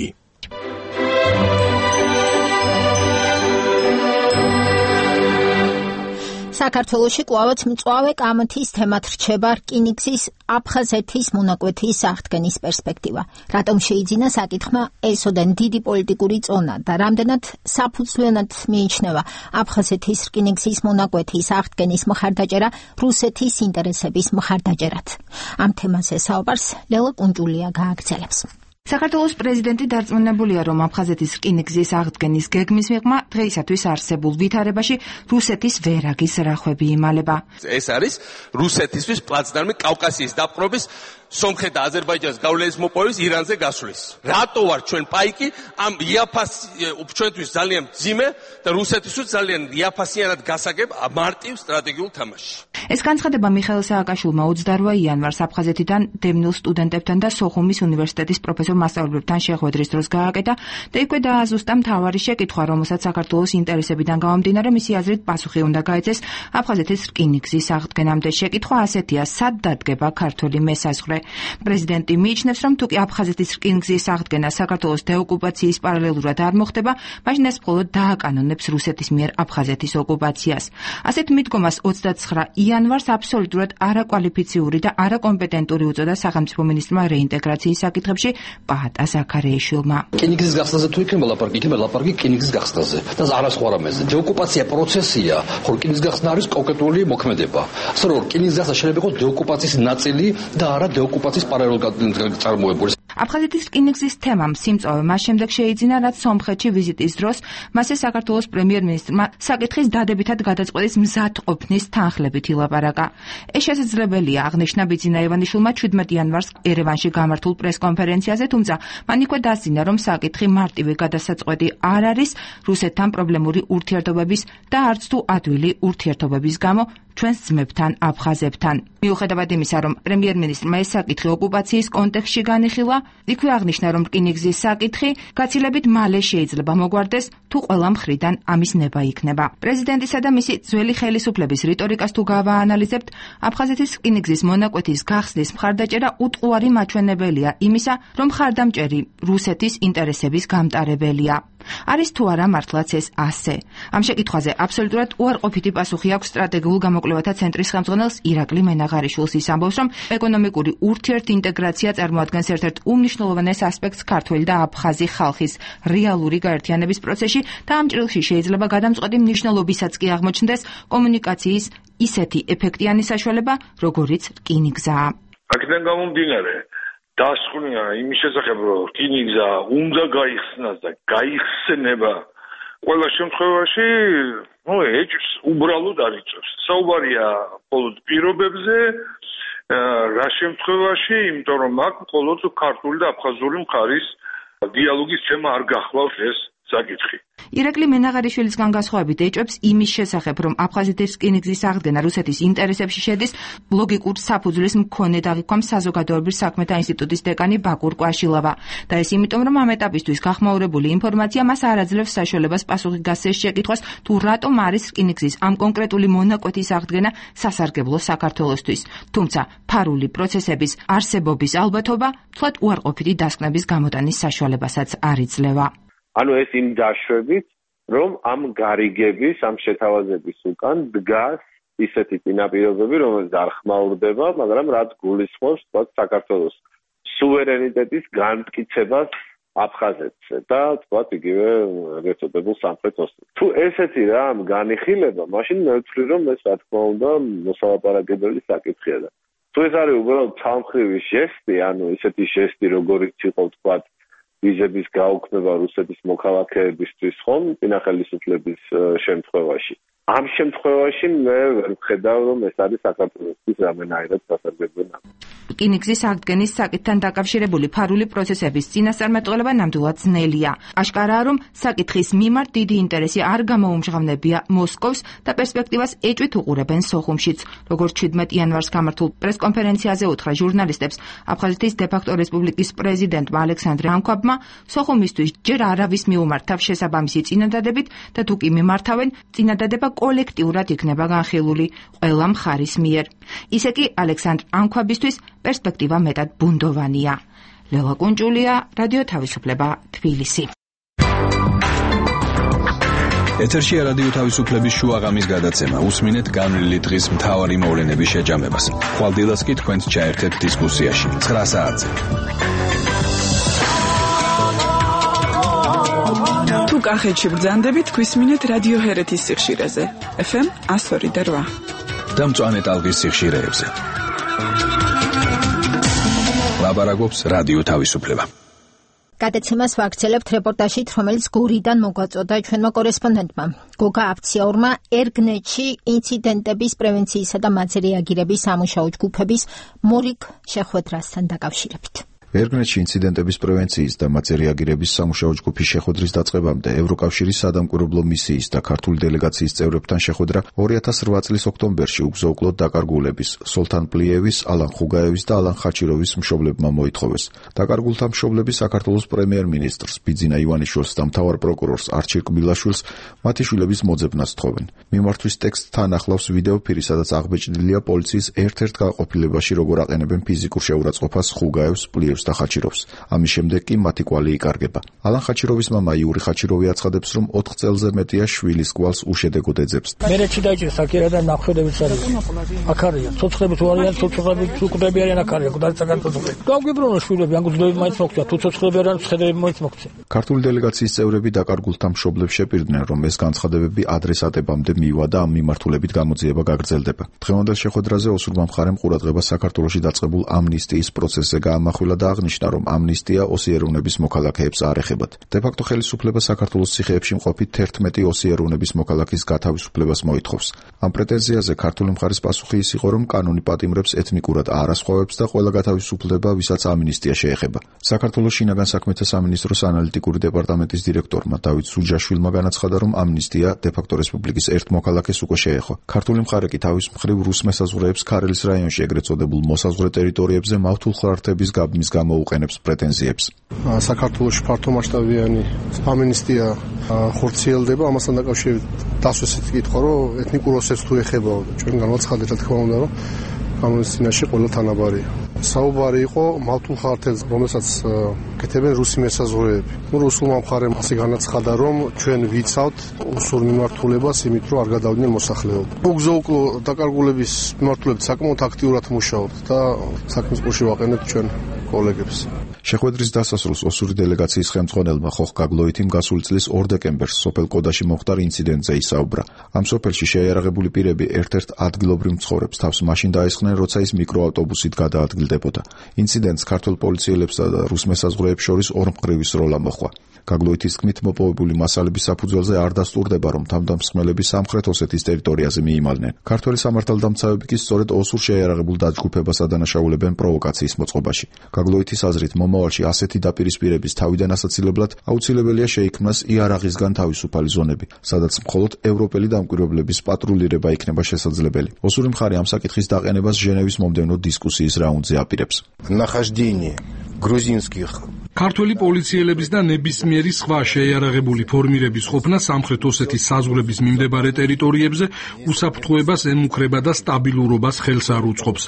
საქართველოში კვლავაც მწვავე კამათის თემად რჩება რკინიგზის აფხაზეთის მონაკვეთის აღდგენის პერსპექტივა. რატომ შეიძინა საკითხმა ესოდენ დიდი პოლიტიკური წონა და რამდენად საფუძვლიანად მიიჩნევა აფხაზეთის რკინიგზის მონაკვეთის აღდგენის მხარდაჭერა რუსეთის ინტერესების მხარდაჭერად. ამ თემაზე საუბარს ლელა კუნჯულია გააგრძელებს. საქართველოს პრეზიდენტი დარწმუნებულია, რომ აფხაზეთის რკინიგზის აღდგენის გეგმის მიღმა დღეისათვის არსებულ ვითარებაში რუსეთის ვერაგის რახვები იმალება. ეს არის რუსეთისთვის პლაცდარმი კავკასიის დაპყრობის სომხეთ და აზერბაიჯანის გავლენის მოპოვების ირანზე გასვლის. რატო ვარ ჩვენ პაიკი ამ იაფას ჩვენთვის ძალიან მძიმე და რუსეთისთვის ძალიან იაფასიანად გასაგებ მარტივ სტრატეგიულ თამაშში. ეს განცხადება მიხეილ სააკაშვილმა 28 იანვარს აფხაზეთიდან დევნილ სტუდენტებთან და სოხუმის უნივერსიტეტის პროფესორ მასწავლებლებთან შეხვედრის დროს გააკეთა და იქვე დააზუსტა მთავარი შეკითხვა, რომელსაც საქართველოს ინტერესებიდან გამომდინარე მისი აზრით პასუხი უნდა გაეცეს აფხაზეთის რკინიგზის აღდგენამდე. შეკითხვა ასეთია: სად დადგება ქართული მესაზღვრე? პრეზიდენტი მიიჩნევს, რომ თუკი აფხაზეთის რკინიგზის აღდგენა საქართველოს დეოკუპაციის პარალელურად არ მოხდება, მაშინ ეს მხოლოდ დააკანონებს რუსეთის მიერ აფხაზეთის ოკუპაციას. ასეთ მიდგომას 29 იანვარს აბსოლუტურად არაკვალიფიციური და არაკომპეტენტური უწოდა სახელმწიფო მინისტრმა რეინტეგრაციის საკითხებში პაატა ზაქარეიშვილმა. რკინიგზის გახსნაზე თუ იქნება ლაპარაკი, იქნება ლაპარაკი რკინიგზის გახსნაზე და არა სხვა რამეზე. დეოკუპაცია პროცესია, ხო რკინიგზის გახსნა არის კონკრეტული მოქმედება. ასე რომ რკინიგზის გახსნა შეიძლება იყოს დეოკუპაციის ნაწილი და არა დეოკუპაციის პარალელურად წარმოებული. აფხაზეთის რკინიგზის თემამ სიმწოვე მას შემდეგ შეიძინა, რაც სომხეთში ვიზიტის დროს მასე საქართველოს პრემიერ-მინისტრმა საკითხის დადებითად გადაწყვეტის მზადყოფნის თანხლებით ილაპარაკა. ეს შესაძლებელია, აღნიშნა ბიძინა ივანიშვილმა 17 იანვარს ერევანში გამართულ პრესკონფერენციაზე, თუმცა მან იქვე დასძინა, რომ საკითხი მარტივი გადასაწყვეტი არ არის რუსეთთან პრობლემური ურთიერთობების და არც თუ ადვილი ურთიერთობების გამო ჩვენს ძმებთან, აფხაზებთან. მიუხედავად იმისა, რომ პრემიერ-მინისტრმა ეს საკითხი ოკუპაციის კონტექსტში განიხილა, იქვე აღნიშნა, რომ რკინიგზის საკითხი გაცილებით მალე შეიძლება მოგვარდეს, თუ ყველა მხრიდან ამის ნება იქნება. პრეზიდენტისა და მისი ძველი ხელისუფლების რიტორიკას თუ გავაანალიზებთ, აფხაზეთის რკინიგზის მონაკვეთის გახსნის მხარდაჭერა უტყუარი მაჩვენებელია იმისა, რომ მხარდამჭერი რუსეთის ინტერესების გამტარებელია. არის თუ არა მართლაც ეს ასე? ამ შეკითხვაზე აბსოლუტურად უარყოფითი პასუხი აქვს სტრატეგიულ გამოკვლევათა ცენტრის ხელმძღვანელს ირაკლი მენაღარიშვილს. ის ამბობს, რომ ეკონომიკური ურთიერთინტეგრაცია წარმოადგენს ერთ-ერთ უმნიშვნელოვანეს ასპექტს ქართველი და აფხაზი ხალხის რეალური გაერთიანების პროცესში და ამ ჭრილში შეიძლება გადამწყვეტი მნიშვნელობისაც კი აღმოჩნდეს კომუნიკაციის ისეთი ეფექტიანი საშუალება, როგორიც რკინიგზაა. აქედან გამომდინარე დასკვნა იმის შესახებ, რომ რკინიგზა უნდა გაიხსნას და გაიხსნება ყველა შემთხვევაში, ეჭვს უბრალოდ არ იწევს. საუბარია მხოლოდ პირობებზე, რა შემთხვევაში, იმიტომ რომ აქ მხოლოდ ქართული და აფხაზური მხარის დიალოგის თემა არ გახლავს ეს საკითხი. ირაკლი მენაღარიშვილისგან განსხვავებით ეჭვებს იმის შესახებ, რომ აფხაზეთის რკინიგზის აღდგენა რუსეთის ინტერესებში შედის, ლოგიკურ საფუძვლის მქონე დაღიქვამს საზოგადოების საქმეთა ინსტიტუტის დეკანი ბაკურ კვაშილავა. და ეს იმიტომ, რომ ამ ეტაპისთვის გახმაურებული ინფორმაცია მას არ აძლევს საშუალებას პასუხი გასცეს შეკითხვას, თუ რატომ არის რკინიგზის ამ კონკრეტული მონაკვეთის აღდგენა სასარგებლო საქართველოსთვის. თუმცა ფარული პროცესების არსებობის ალბათობა თვალ უარყოფითი დასკვნების გამოტანის საშუალებასაც არ იძლევა. ანუ ეს იმ დაშვებით, რომ ამ გარიგების, ამ შეთავაზების უკან დგას ისეთი წინაპირობები, რომელიც არ ხმაურდება, მაგრამ რაც გულისხმობს თქვათ საქართველოს სუვერენიტეტის განმტკიცებას აფხაზეთზე და თქვათ იგივე ეწოდებულ სამხრეთ ოსეთში. თუ ესეთი რა ამ განიხილება, მაშინ მე ვთვლი, რომ ეს რა თქმა უნდა მოსალაპარაკებელი საკითხია და თუ ეს არის უბრალოდ ცალმხრივი ჟესტი, ანუ ისეთი ჟესტი, როგორიც იყო თქვათ ვიზების გაუქმება რუსეთის მოქალაქეებისთვის ხომ წინა ხელისუფლების შემთხვევაში. ამ შემთხვევაში მე ვერ ვხედავ, რომ ეს არის საქართველოსთვის რამენაირად სასარგებლო. რკინიგზის აღდგენის საკითხთან დაკავშირებული ფარული პროცესების წინასწარმეტყველება ნამდვილად ძნელია. აშკარაა, რომ საკითხის მიმართ დიდი ინტერესი არ გამოუმჟღავნებია მოსკოვს და პერსპექტივას ეჭვით უყურებენ სოხუმშიც. როგორც 17 იანვარს გამართულ პრესკონფერენციაზე უთხრა ჟურნალისტებს აფხაზეთის დე-ფაქტო რესპუბლიკის პრეზიდენტმა ალექსანდრე ანქვაბმა, სოხუმისთვის ჯერ არავის მიუმართავ შესაბამისი წინადადებით და თუ კი მიმართავენ, წინადადება კოლექტიურად იქნება განხილული ყველა მხარის მიერ. ისე კი ალექსანდრ ანქვაბისთვის პერსპექტივა მეტად ბუნდოვანია. ლელა კუნჭულია, რადიო თავისუფლება, თბილისი. ეთერშია რადიო თავისუფლების შუაღამის გადაცემა. უსმინეთ განვლილი დღის მთავარი მოვლენების შეჯამებას. ხვალდილას კი თქვენც ჩაერთეთ დისკუსიაში 9 საათზე. თუ კახეთში ბრძანდებით, გვისმინეთ რადიო ჰერეთის სიხშირეზე. FM 102.8 და მწვანე ტალღის სიხშირეებზე. ლაბარაკობს რადიო თავისუფლება. გადაცემას ვაგრძელებთ რეპორტაჟით, რომელიც გორიდან მოგვაწოდა ჩვენმა კორესპონდენტმა. გოგა აფციაურმა ერგნეთში ინციდენტების პრევენციისა და მათზე რეაგირების სამუშაო ჯგუფების მორიგ შეხვედრასთან დაკავშირებით. ერგნეთში ინციდენტების პრევენციის და მათზე რეაგირების სამუშაო ჯგუფის შეხვედრის დაწყებამდე ევროკავშირის სადამკვირვებლო მისიის და ქართული დელეგაციის წევრებთან შეხვედრა 2008 წლის ოქტომბერში უგზო-უკლოდ დაკარგულების სოლთან პლიევის, ალან ხუგაევის და ალან ხაჩიროვის მშობლებმა მოითხოვეს. დაკარგულთა მშობლები საქართველოს პრემიერ-მინისტრს ბიძინა ივანიშვილს და მთავარ პროკურორს არჩილ კბილაშვილს მათი შვილების მოძებნას თხოვენ. მიმართვის ტექსტთან ახლავს ვიდეოფირი, სადაც აღბეჭდილია პოლიციის ერთ-ერთ განყოფილებაში როგორ აყენებენ ფიზიკურ შეურაცხყოფას ხუგაევს, პლიევს და ხაჩიროვს. ამის შემდეგ კი მათი კვალი იკარგება. ალან ხაჩიროვის მამა იური ხაჩიროვი აცხადებს, რომ 4 წელზე მეტია შვილის კვალს უშედეგოდ ეძებს. მერეჩი დაიჭირეს აქერა და ნახველებიც არის. აქ არიან ცოცხლები თუ არიან, ცოცხლები თუ კვდები არიან აქ არიან, გადაცაგან ცოცხლები. გავგიბრუნო შვილები, ან გძლები მაინც მოგწია, თუ ცოცხლები არიან, ცხედები მაინც მოგწია. ქართული დელეგაციის წევრები დაკარგულთა მშობლებს შეპირდნენ, რომ ეს განცხადებები ადრესატებამდე მივა და ამ მიმართულებით გამოძიება გაგრძელდება. დღევანდელ შეხვედრაზე ოსურმა მხარემ ყურადღება საქართველოში დაწყებულ ამნისტიის პროცესზე გაამახვილა და აღნიშნა, რომ ამნისტია ოსიეროვნების მოქალაქეებს არ ეხებათ. დე-ფაქტო ხელისუფლება საქართველოს ციხეებში მყოფი 11 ოსიეროვნების მოქალაქის გათავისუფლებას მოითხოვს. ამ პრეტენზიაზე ქართული მხარის პასუხი ის იყო, რომ კანონი პატიმრებს ეთნიკურად არასხვავებს და ყველა გათავისუფლდება, ვისაც ამნისტია შეეხება. საქართველოს შინაგან საქმეთა სამინისტროს ანალიტიკური დეპარტამენტის დირექტორმა დავით სუჯაშვილმა განაცხადა, რომ ამნისტია დე-ფაქტო რესპუბლიკის ერთ მოქალაქეს უკვე შეეხო. ქართული მხარე კი თავის მხრივ რუს მესაზღვრეებს ქარელის რაიონში ეგრეთ წოდებულ მოსაზღვრე ტერიტორიებზე მავთულხარდების გაბმის გამოუყენებს პრეტენზიებს. საქართველოში ფართომასშტაბიანი ამნისტია ხორციელდება, ამასთან დაკავშირებით დასვეს კითხვა, რომ ეთნიკურ ოსებს თუ ეხებაო, ჩვენ განაცხადეთ, რა თქმა უნდა, რომ კანონის წინაშე ყველა თანაბარია. საუბარი იყო მავთულხარდებს, რომელსაც კეთებენ რუსი მესაზღვრეები. რუსულმა მხარემ ასე განაცხადა, რომ ჩვენ ვიცავთ უსურ მიმართულებას, იმით რომ არ გადავიდნენ მოსახლეობა. უგზო-უკლო დაკარგულების მიმართულებით საკმაოდ აქტიურად მუშაობთ და საქმის ყურში ვაყენებთ ჩვენ კოლეგებს. შეხვედრის დასასრულს ოსური დელეგაციის ხელმძღვანელმა ხოხ გაგლოითიმ გასული წლის 2 დეკემბერს სოფელ კოდაში მომხდარ ინციდენტზე ისაუბრა. ამ სოფელში შეიარაღებული პირები ერთ-ერთ ადგილობრივ მცხოვრებს თავს მაშინ დაესხნენ, როცა ის მიკროავტობუსით გადაადგილდებოდა. ინციდენტს ქართულ პოლიციელებსა და რუს მესაზღვრეებს შორის ორმხრივი სროლა მოჰყვა. გაგლოითის თქმით, მოპოვებული მასალების საფუძველზე არ დასტურდება, რომ თავდამსხმელები სამხრეთ ოსეთის ტერიტორიაზე მიიმალნენ. ქართველი სამართალდამცავები კი სწორედ ოსურ შეიარაღებულ დაჯგუფებას ადანაშაულებენ პროვოკაციის მოწყობაში. გაგლოითის აზრით, მომავალში ასეთი დაპირისპირების თავიდან ასაცილებლად აუცილებელია შეიქმნას იარაღისგან თავისუფალი ზონები, სადაც მხოლოდ ევროპელი დამკვირვებლების პატრულირება იქნება შესაძლებელი. ოსური მხარე ამ საკითხის დაყენებას ჟენევის მომდევნო დისკუსიის რაუნდზე აპირებს. Нахождение грузинских ქართველი პოლიციელების და ნებისმიერი სხვა შეიარაღებული ფორმირების ყოფნა სამხრეთ ოსეთის საზღვრების მიმდებარე ტერიტორიებზე უსაფრთხოებას ემუქრება და სტაბილურობას ხელს არ უწყობს.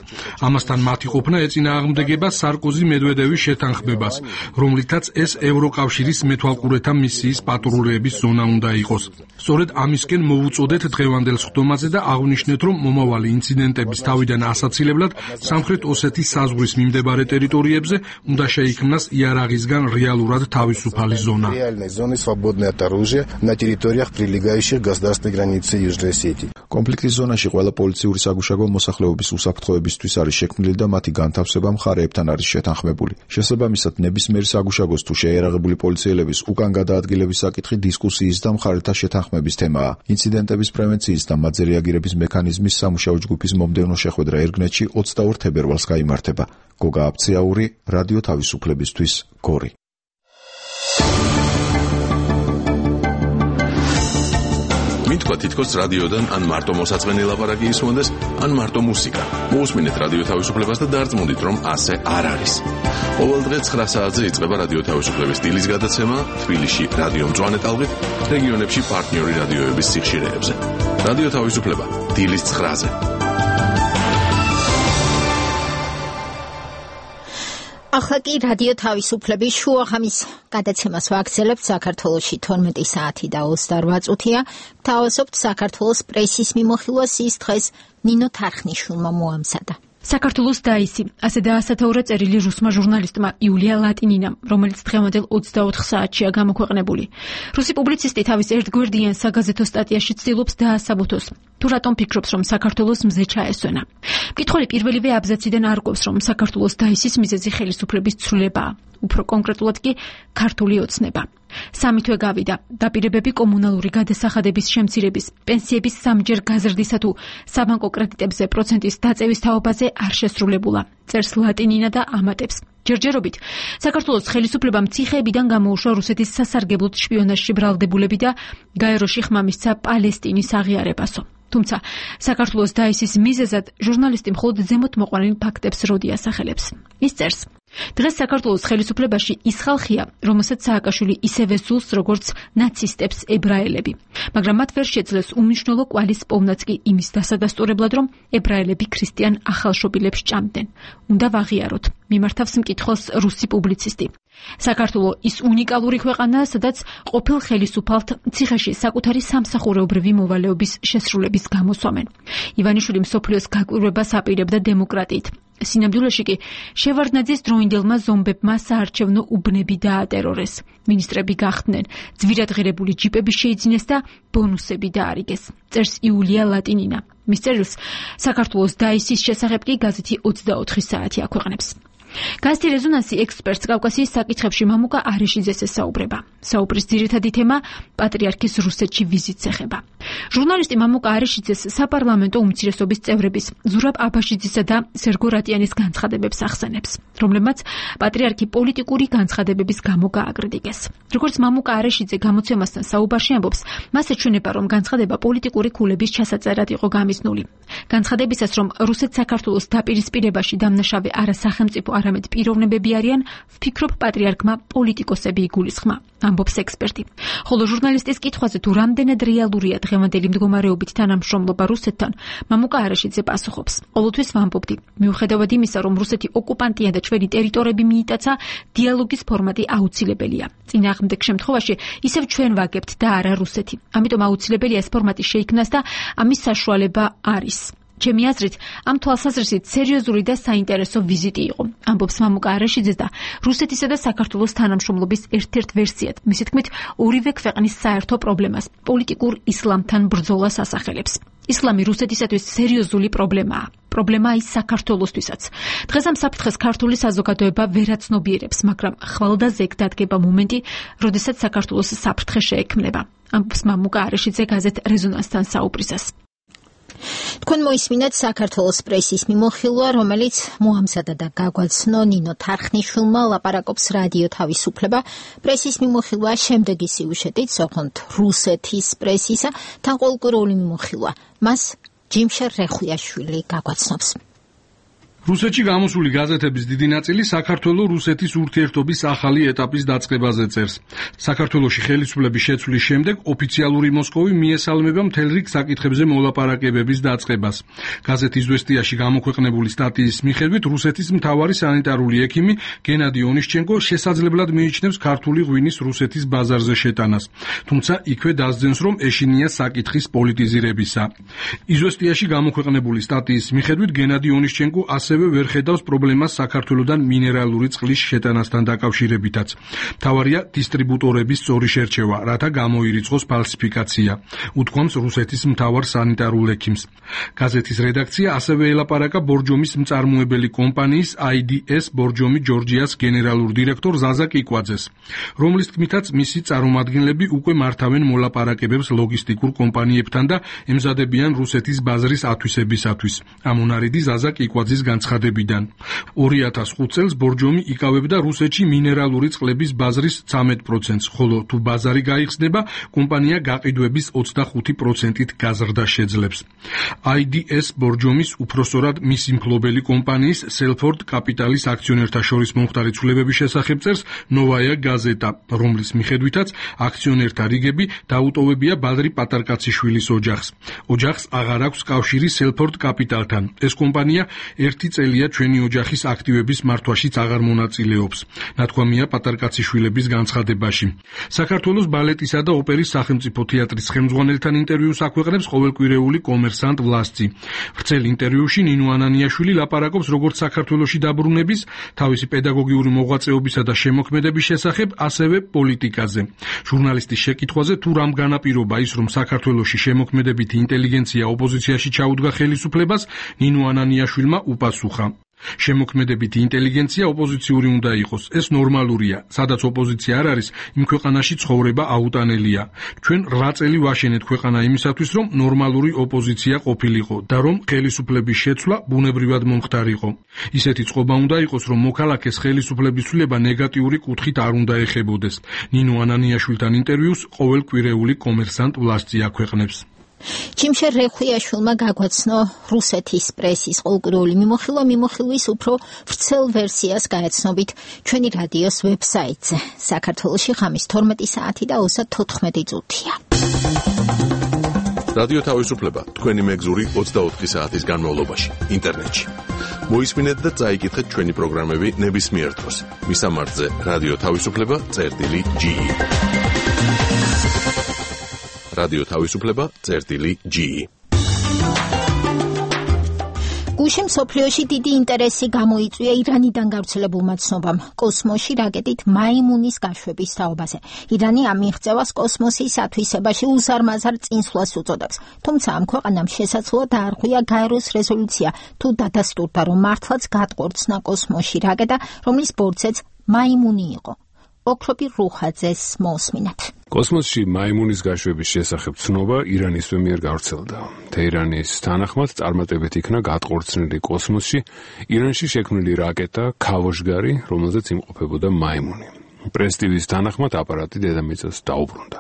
ამასთან მათი ყოფნა ეწინააღმდეგება სარკოზი-მედვედევის შეთანხმებას, რომლითაც ეს ევროკავშირის მეთვალყურეთა მისიის პატრულეების ზონა უნდა იყოს. სწორედ ამისკენ მოვუწოდეთ დღევანდელ სხდომაზე და აღვნიშნეთ, რომ მომავალი ინციდენტების თავიდან ასაცილებლად სამხრეთ ოსეთის საზღვრის მიმდებარე ტერიტორიებზე უნდა შეიქმნას იარაღისგან რეალურად თავისუფალი ზონა. Реальной зоны свободной от оружия на территориях, прилегающих к государственной границе Южной Осетии. კონფლიქტის ზონაში ყველა პოლიციური საგუშაგო მოსახლეობის უსაფრთხოებისთვის არის შექმნილი და მათი განთავსება მხარეებთან არის შეთანხმებული. შესაბამისად, ნებისმიერი საგუშაგოს თუ შეიარაღებული პოლიციელების უკან გადაადგილების საკითხი დისკუსიის და მხარეთა შეთანხმების თემაა. ინციდენტების პრევენციის და მათზე რეაგირების მექანიზმის სამუშაო ჯგუფის მომდევნო შეხვედრა ერგნეთში 22 თებერვალს გაიმართება. გოგა აფციაური, რადიო თავისუფლებისთვის, გორი. მითქვა თითქოს რადიოდან ან მარტო მოსაწყენი ლაპარაკი ისმონდეს, ან მარტო მუსიკა. მოусმინეთ რადიო თავისუფლებას და დარწმუნდით, რომ ასე არ არის. ყოველ დღე 9 საათზე იწყება რადიო თავისუფლების დილის გადაცემა თბილისში რადიო მწვანე ტალღით, რეგიონებში პარტნიორი რადიოების სიხშირეებზე. რადიო თავისუფლება დილის 9-ზე. ახლა კი რადიო თავისუფლების შუაღამის გადაცემას ვაგრძელებთ. საქართველოში 12 საათი და 28 წუთია. გთავაზობთ საქართველოს პრესის მიმოხილვას, ის დღეს ნინო თარხნიშვილმა მოამზადა. საქართველოს დაისი, ასე დაასათაურა წერილი რუსმა ჟურნალისტმა იულია ლატინინამ, რომელიც დღევანდელ 24 საათშია გამოქვეყნებული. რუსი პუბლიცისტი თავის ერთგვერდიან საგაზეთო სტატიაში ცდილობს დაასაბუთოს, თუ რატომ ფიქრობს, რომ საქართველოს მზე ჩაესვენა. მკითხველი პირველივე აბზაციდან არკვევს, რომ საქართველოს დაისის მიზეზი ხელისუფლების ცვლილებაა, უფრო კონკრეტულად კი ქართული ოცნება. 3 თვე გავიდა, დაპირებები კომუნალური გადასახადების შემცირების, პენსიების სამჯერ გაზრდისა თუ საბანკო კრედიტებზე პროცენტის დაწევის თაობაზე არ შესრულებულა. წერს ლატინინა და ამატებს. ჯერჯერობით საქართველოს ხელისუფლებამ ციხეებიდან გამოუშვა რუსეთის სასარგებლოდ შპიონაჟში ბრალდებულები და გაეროში ხმა მისცა პალესტინის აღიარებასო. თუმცა საქართველოს დაისის მიზეზად ჟურნალისტი მხოლოდ ზემოთ მოყვანილ ფაქტებს როდი ასახელებს. ის წერს: დღეს საქართველოს ხელისუფლებაში ის ხალხია, რომელსაც სააკაშვილი ისევე სურს, როგორც ნაცისტებს ებრაელები. მაგრამ მათ ვერ შეძლეს უმნიშვნელო კვალის პოვნაც კი იმის დასადასტურებლად, რომ ებრაელები ქრისტიან ახალშობილებს ჭამდნენ. უნდა ვაღიაროთ, მიმართავს მკითხველს რუსი პუბლიცისტი. საქართველო ის უნიკალური ქვეყანაა, სადაც ყოფილ ხელისუფალთ ციხეში საკუთარი სამსახურეობრივი მოვალეობის შესრულების გამოსვამენ. ივანიშვილი მსოფლიოს გაკვირვებას აპირებდა დემოკრატიით. სინამდვილეში კი შევარდნაძის დროინდელმა ზომბებმა საარჩევნო უბნები დაატერორეს. მინისტრები გახდნენ, ძვირადღირებული ჯიპები შეიძინეს და ბონუსები დაარიგეს. წერს იულია ლატინინა. მის წერილს საქართველოს დაისის შესახებ კი გაზეთი 24 საათი აქვეყნებს. გაზეთი რეზონანსი ექსპერტს კავკასიის საკითხებში მამუკა არეშიძეს ესაუბრება. საუბრის ძირითადი თემა პატრიარქის რუსეთში ვიზიტს ეხება. ჟურნალისტი მამუკა არეშიძეს საპარლამენტო უმცირესობის წევრების ზურაბ აბაშიძისა და სერგო რატიანის განცხადებებს ახსენებს, რომლებმაც პატრიარქი პოლიტიკური განცხადებების გამო გააკრიტიკეს. როგორც მამუკა არეშიძე გამოცემასთან საუბარში ამბობს, მას ეჩვენება, რომ განცხადება პოლიტიკური ქულების ჩასაწერად იყო გამიზნული. განცხადებისას, რომ რუსეთ-საქართველოს დაპირისპირებაში დამნაშავე არა სახელმწიფო არამედ პიროვნებები არიან, ვფიქრობ პატრიარქმა პოლიტიკოსები იგულისხმა, ამბობს ექსპერტი. ხოლო ჟურნალისტის კითხვაზე თუ რამდენად რეალურია დღევანდელი მდგომარეობით თანამშრომლობა რუსეთთან, მამუკა არეშიძე პასუხობს: ყოველთვის ვამბობდი, მიუხედავად იმისა, რომ რუსეთი ოკუპანტია და ჩვენი ტერიტორიები მიიტაცა, დიალოგის ფორმატი აუცილებელია. წინააღმდეგ შემთხვევაში ისევ ჩვენ ვაგებთ და არა რუსეთი. ამიტომ აუცილებელია ეს ფორმატი შეიქმნას და ამის საშუალება არის. ჩემი აზრით, ამ თვალსაზრისით სერიოზული და საინტერესო ვიზიტი იყო, ამბობს მამუკა არეშიძე და რუსეთისა და საქართველოს თანამშრომლობის ერთ-ერთ ვერსიად, მისი თქმით, ორივე ქვეყნის საერთო პრობლემას, პოლიტიკურ ისლამთან ბრძოლას ასახელებს. ისლამი რუსეთისათვის სერიოზული პრობლემაა. პრობლემაა ის საქართველოსთვისაც. დღეს ამ საფრთხეს ქართული საზოგადოება ვერაცნობიერებს, მაგრამ ხვალ და ზეგ დადგება მომენტი, როდესაც საქართველოს საფრთხე შეექმნება, ამბობს მამუკა არეშიძე გაზეთ რეზონანსთან საუბრისას. თქვენ მოისმინეთ საქართველოს პრესის მიმოხილვა, რომელიც მოამზადა და გაგვაცნო ნინო თარხნიშვილმა, ლაპარაკობს რადიო თავისუფლება. პრესის მიმოხილვა შემდეგი სიუჟეტით, ოღონდ რუსეთის პრესისა, თანყოლკურული მიმოხილვა. მას ჯიმშა რეხვიაშვილი გაგვაცნობს. რუსეთში გამოსული გაზეთების დიდი ნაწილი საქართველო-რუსეთის ურთიერთობის ახალი ეტაპის დაწყებაზე წერს. საქართველოში ხელისუფლების შეცვლის შემდეგ ოფიციალური მოსკოვი მიესალმება მთელ რიგ საკითხებზე მოლაპარაკებების დაწყებას. გაზეთ „იზვესტიაში“ გამოქვეყნებული სტატიის მიხედვით, რუსეთის მთავარი სანიტარული ექიმი გენადი ონიშჩენკო შესაძლებლად მიიჩნევს ქართული ღვინის რუსეთის ბაზარზე შეტანას. თუმცა იქვე დასძენს, რომ ეშინია საკითხის პოლიტიზირებისა. „იზვესტიაში“ გამოქვეყნებული სტატიის მიხედვით, გენადი ონიშჩენკო ასევე ვერ ხედავს პრობლემას საქართველოდან მინერალური წყლის შეტანასთან დაკავშირებითაც. მთავარია დისტრიბუტორების სწორი შერჩევა, რათა გამოირიცხოს ფალსიფიკაცია, უთქვამს რუსეთის მთავარ სანიტარულ ექიმს. გაზეთის რედაქცია ასევე ელაპარაკა ბორჯომის მწარმოებელი კომპანიის IDS ბორჯომი ჯორჯიას გენერალურ დირექტორ ზაზა კიკვაძეს, რომლის თქმითაც მისი წარმომადგენლები უკვე მართავენ მოლაპარაკებებს ლოგისტიკურ კომპანიებთან და ემზადებიან რუსეთის ბაზრის ათვისებისათვის. ამონარიდი ზაზა კიკვაძის განცხადებიდან. 2005 წელს ბორჯომი იკავებდა რუსეთში მინერალური წყლების ბაზრის 13%-ს, ხოლო თუ ბაზარი გაიხსნება, კომპანია გაყიდვების 25%-ით გაზრდა შეძლებს. IDS ბორჯომის უფროსწორად მისი მფლობელი კომპანიის სელფორდ კაპიტალის აქციონერთა შორის მომხდარი ცვლილებების შესახებ წერს ნოვაია გაზეტა, რომლის მიხედვითაც აქციონერთა რიგები დაუტოვებია ბადრი პატარკაციშვილის ოჯახს. ოჯახს აღარ აქვს კავშირი სელფორდ კაპიტალთან. ეს კომპანია 1 10 წელია ჩვენი ოჯახის აქტივების მართვაშიც აღარ მონაწილეობს. ნათქვამია პატარკაცი შვილების განცხადებაში. საქართველოს ბალეტისა და ოპერის სახელმწიფო თეატრის ხელმძღვანელთან ინტერვიუს აქვეყნებს ყოველკვირეული კომერსანტ ვლასტი. ვრცელ ინტერვიუში ნინო ანანიაშვილი ლაპარაკობს როგორც საქართველოში დაბრუნების, თავისი პედაგოგიური მოღვაწეობისა და შემოქმედების შესახებ, ასევე პოლიტიკაზე. ჟურნალისტის შეკითხვაზე თუ რამ განაპირობა ის, რომ საქართველოში შემოქმედებითი ინტელიგენცია ოპოზიციაში ჩაუდგა ხელისუფლებას, ნინო ანანიაშვილმა უპასუხა. შემოქმედებითი ინტელიგენცია ოპოზიციური უნდა იყოს. ეს ნორმალურია. სადაც ოპოზიცია არ არის, იმ ქვეყანაში ცხოვრება აუტანელია. ჩვენ 8 წელი ვაშენეთ ქვეყანა იმისათვის, რომ ნორმალური ოპოზიცია ყოფილიყო და რომ ხელისუფლების შეცვლა ბუნებრივად მომხდარიყო. ისეთი წყობა უნდა იყოს, რომ მოქალაქეს ხელისუფლების ცვლილება ნეგატიური კუთხით არ უნდა ეხებოდეს. ნინო ანანიაშვილთან ინტერვიუს ყოველკვირეული კომერსანტ ვლასტი აქვეყნებს. ჩიმშერ რეხვიაშვილმა გაგვაცნო რუსეთის პრესის ყოველკვირეული მიმოხილვის უფრო ვრცელ ვერსიას გაეცნობით ჩვენი რადიოს ვებსაიტზე. საქართველოში ღამის 12 საათი და 34 წუთია. რადიო თავისუფლება თქვენი მეგზური 24 საათის განმავლობაში ინტერნეტში. მოისმინეთ და წაიკითხეთ ჩვენი პროგრამები ნებისმიერ დროს. მისამართზე რადიო თავისუფლება.ge რადიო თავისუფლება.ge გუშინ მსოფლიოში დიდი ინტერესი გამოიწვია ირანიდან გავრცელებულმა ცნობამ კოსმოსში რაკეტით მაიმუნის გაშვების თაობაზე. ირანი ამ მიღწევას კოსმოსის ათვისებაში უზარმაზარ წინსვლას უწოდებს. თუმცა ამ ქვეყანამ შესაძლოა დაარღვია გაეროს რეზოლუცია თუ დადასტურდა, რომ მართლაც გადყორცნა კოსმოსში რაკეტა, რომლის ბორცეც მაიმუნი იყო. ოქროპი რუხაძეს მოსმინათ. კოსმოსში მაიმუნის გაშვების შესახებ ცნობა ირანისვე მიერ გავრცელდა. თეირანის თანახმად წარმატებით იქნა გადყორცნილი კოსმოსში ირანში შექმნილი რაკეტა ქავოშგარი, რომელზეც იმყოფებოდა მაიმუნი. პრესტივის თანახმად აპარატი დედამიწას დაუბრუნდა.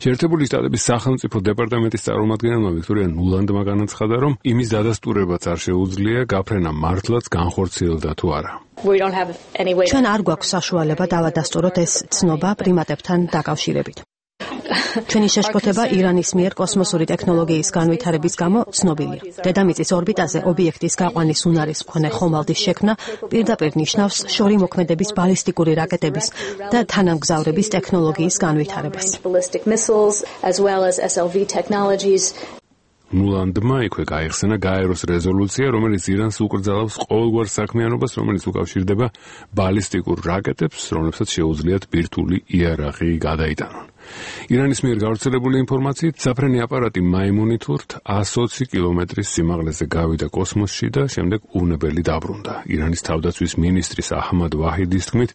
შეერთებული შტატების სახელმწიფო დეპარტამენტის წარმომადგენელმა ვიქტორია ნულანდმა განაცხადა, რომ იმის დადასტურებაც არ შეუძლია გაფრენა მართლაც განხორციელდა თუ არა. ჩვენ არ გვაქვს საშუალება დავადასტუროთ ეს ცნობა პრიმატებთან დაკავშირებით. ჩვენი შეშფოთება ირანის მიერ კოსმოსური ტექნოლოგიის განვითარების გამო ცნობილია. დედამიწის ორბიტაზე ობიექტის გაყვანის უნარის მქონე ხომალდის შექმნა პირდაპირ ნიშნავს შორი მოქმედების ბალისტიკური რაკეტების და თანამგზავრების ტექნოლოგიის განვითარებას. ნულანდმა იქვე გაიხსენა გაეროს რეზოლუცია, რომელიც ირანს უკრძალავს ყოველგვარ საქმიანობას, რომელიც უკავშირდება ბალისტიკურ რაკეტებს, რომლებსაც შეუძლიათ ბირთვული იარაღი გადაიტანონ. ირანის მიერ გავრცელებული ინფორმაციით, საფრენი აპარატი მაიმუნით ურთ 120 კილომეტრის სიმაღლეზე გავიდა კოსმოსში და შემდეგ უვნებელი დაბრუნდა. ირანის თავდაცვის მინისტრის აჰმად ვაჰიდის თქმით,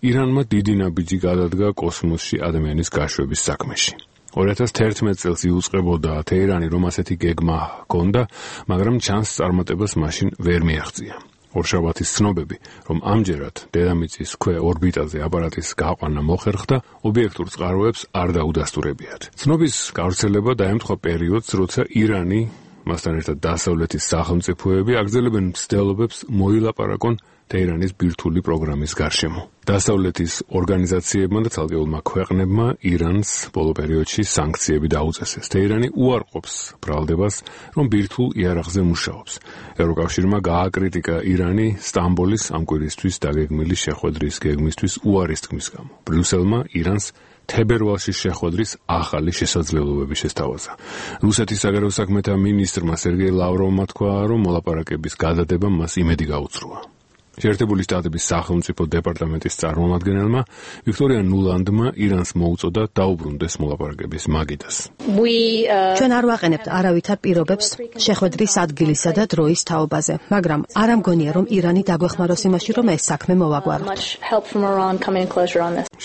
ირანმა დიდი ნაბიჯი გადადგა კოსმოსში ადამიანის გაშვების საქმეში. 2011 წელს იუწყებოდა თეირანი, რომ ასეთი გეგმა ჰქონდა, მაგრამ ჩანს წარმატებას მაშინ ვერ მიაღწია. ორშაბათის ცნობები, რომ ამჯერად დედამიწის ქვე ორბიტაზე აპარატის გაყვანა მოხერხდა, ობიექტურ წყაროებს არ დაუდასტურებიათ. ცნობის გავრცელება დაემთხვა პერიოდს, როცა ირანი, მასთან ერთად დასავლეთის სახელმწიფოები აგრძელებენ მცდელობებს მოილაპარაკონ თეირანის ბირთვული პროგრამის გარშემო. დასავლეთის ორგანიზაციებმა და ცალკეულმა ქვეყნებმა ირანს ბოლო პერიოდში სანქციები დაუწესეს. თეირანი უარყოფს ბრალდებას, რომ ბირთვულ იარაღზე მუშაობს. ევროკავშირმა გააკრიტიკა ირანი სტამბოლის ამ კვირისთვის დაგეგმილი შეხვედრის გეგმისთვის უარის თქმის გამო. ბრიუსელმა ირანს თებერვალში შეხვედრის ახალი შესაძლებლობები შესთავაზა. რუსეთის საგარეო საქმეთა მინისტრმა სერგეი ლავროვმა თქვა, რომ მოლაპარაკების გადადება მას იმედი გაუწრუა. შეერთებული შტატების სახელმწიფო დეპარტამენტის წარმომადგენელმა ვიქტორია ნულანდმა ირანს მოუწოდა დაუბრუნდეს მოლაპარაკების მაგიდას. ჩვენ არ ვაყენებთ არავითარ პირობებს შეხვედრის ადგილისა და დროის თაობაზე, მაგრამ არ ამგონია, რომ ირანი დაგვეხმაროს იმაში, რომ ეს საქმე მოვაგვაროთ.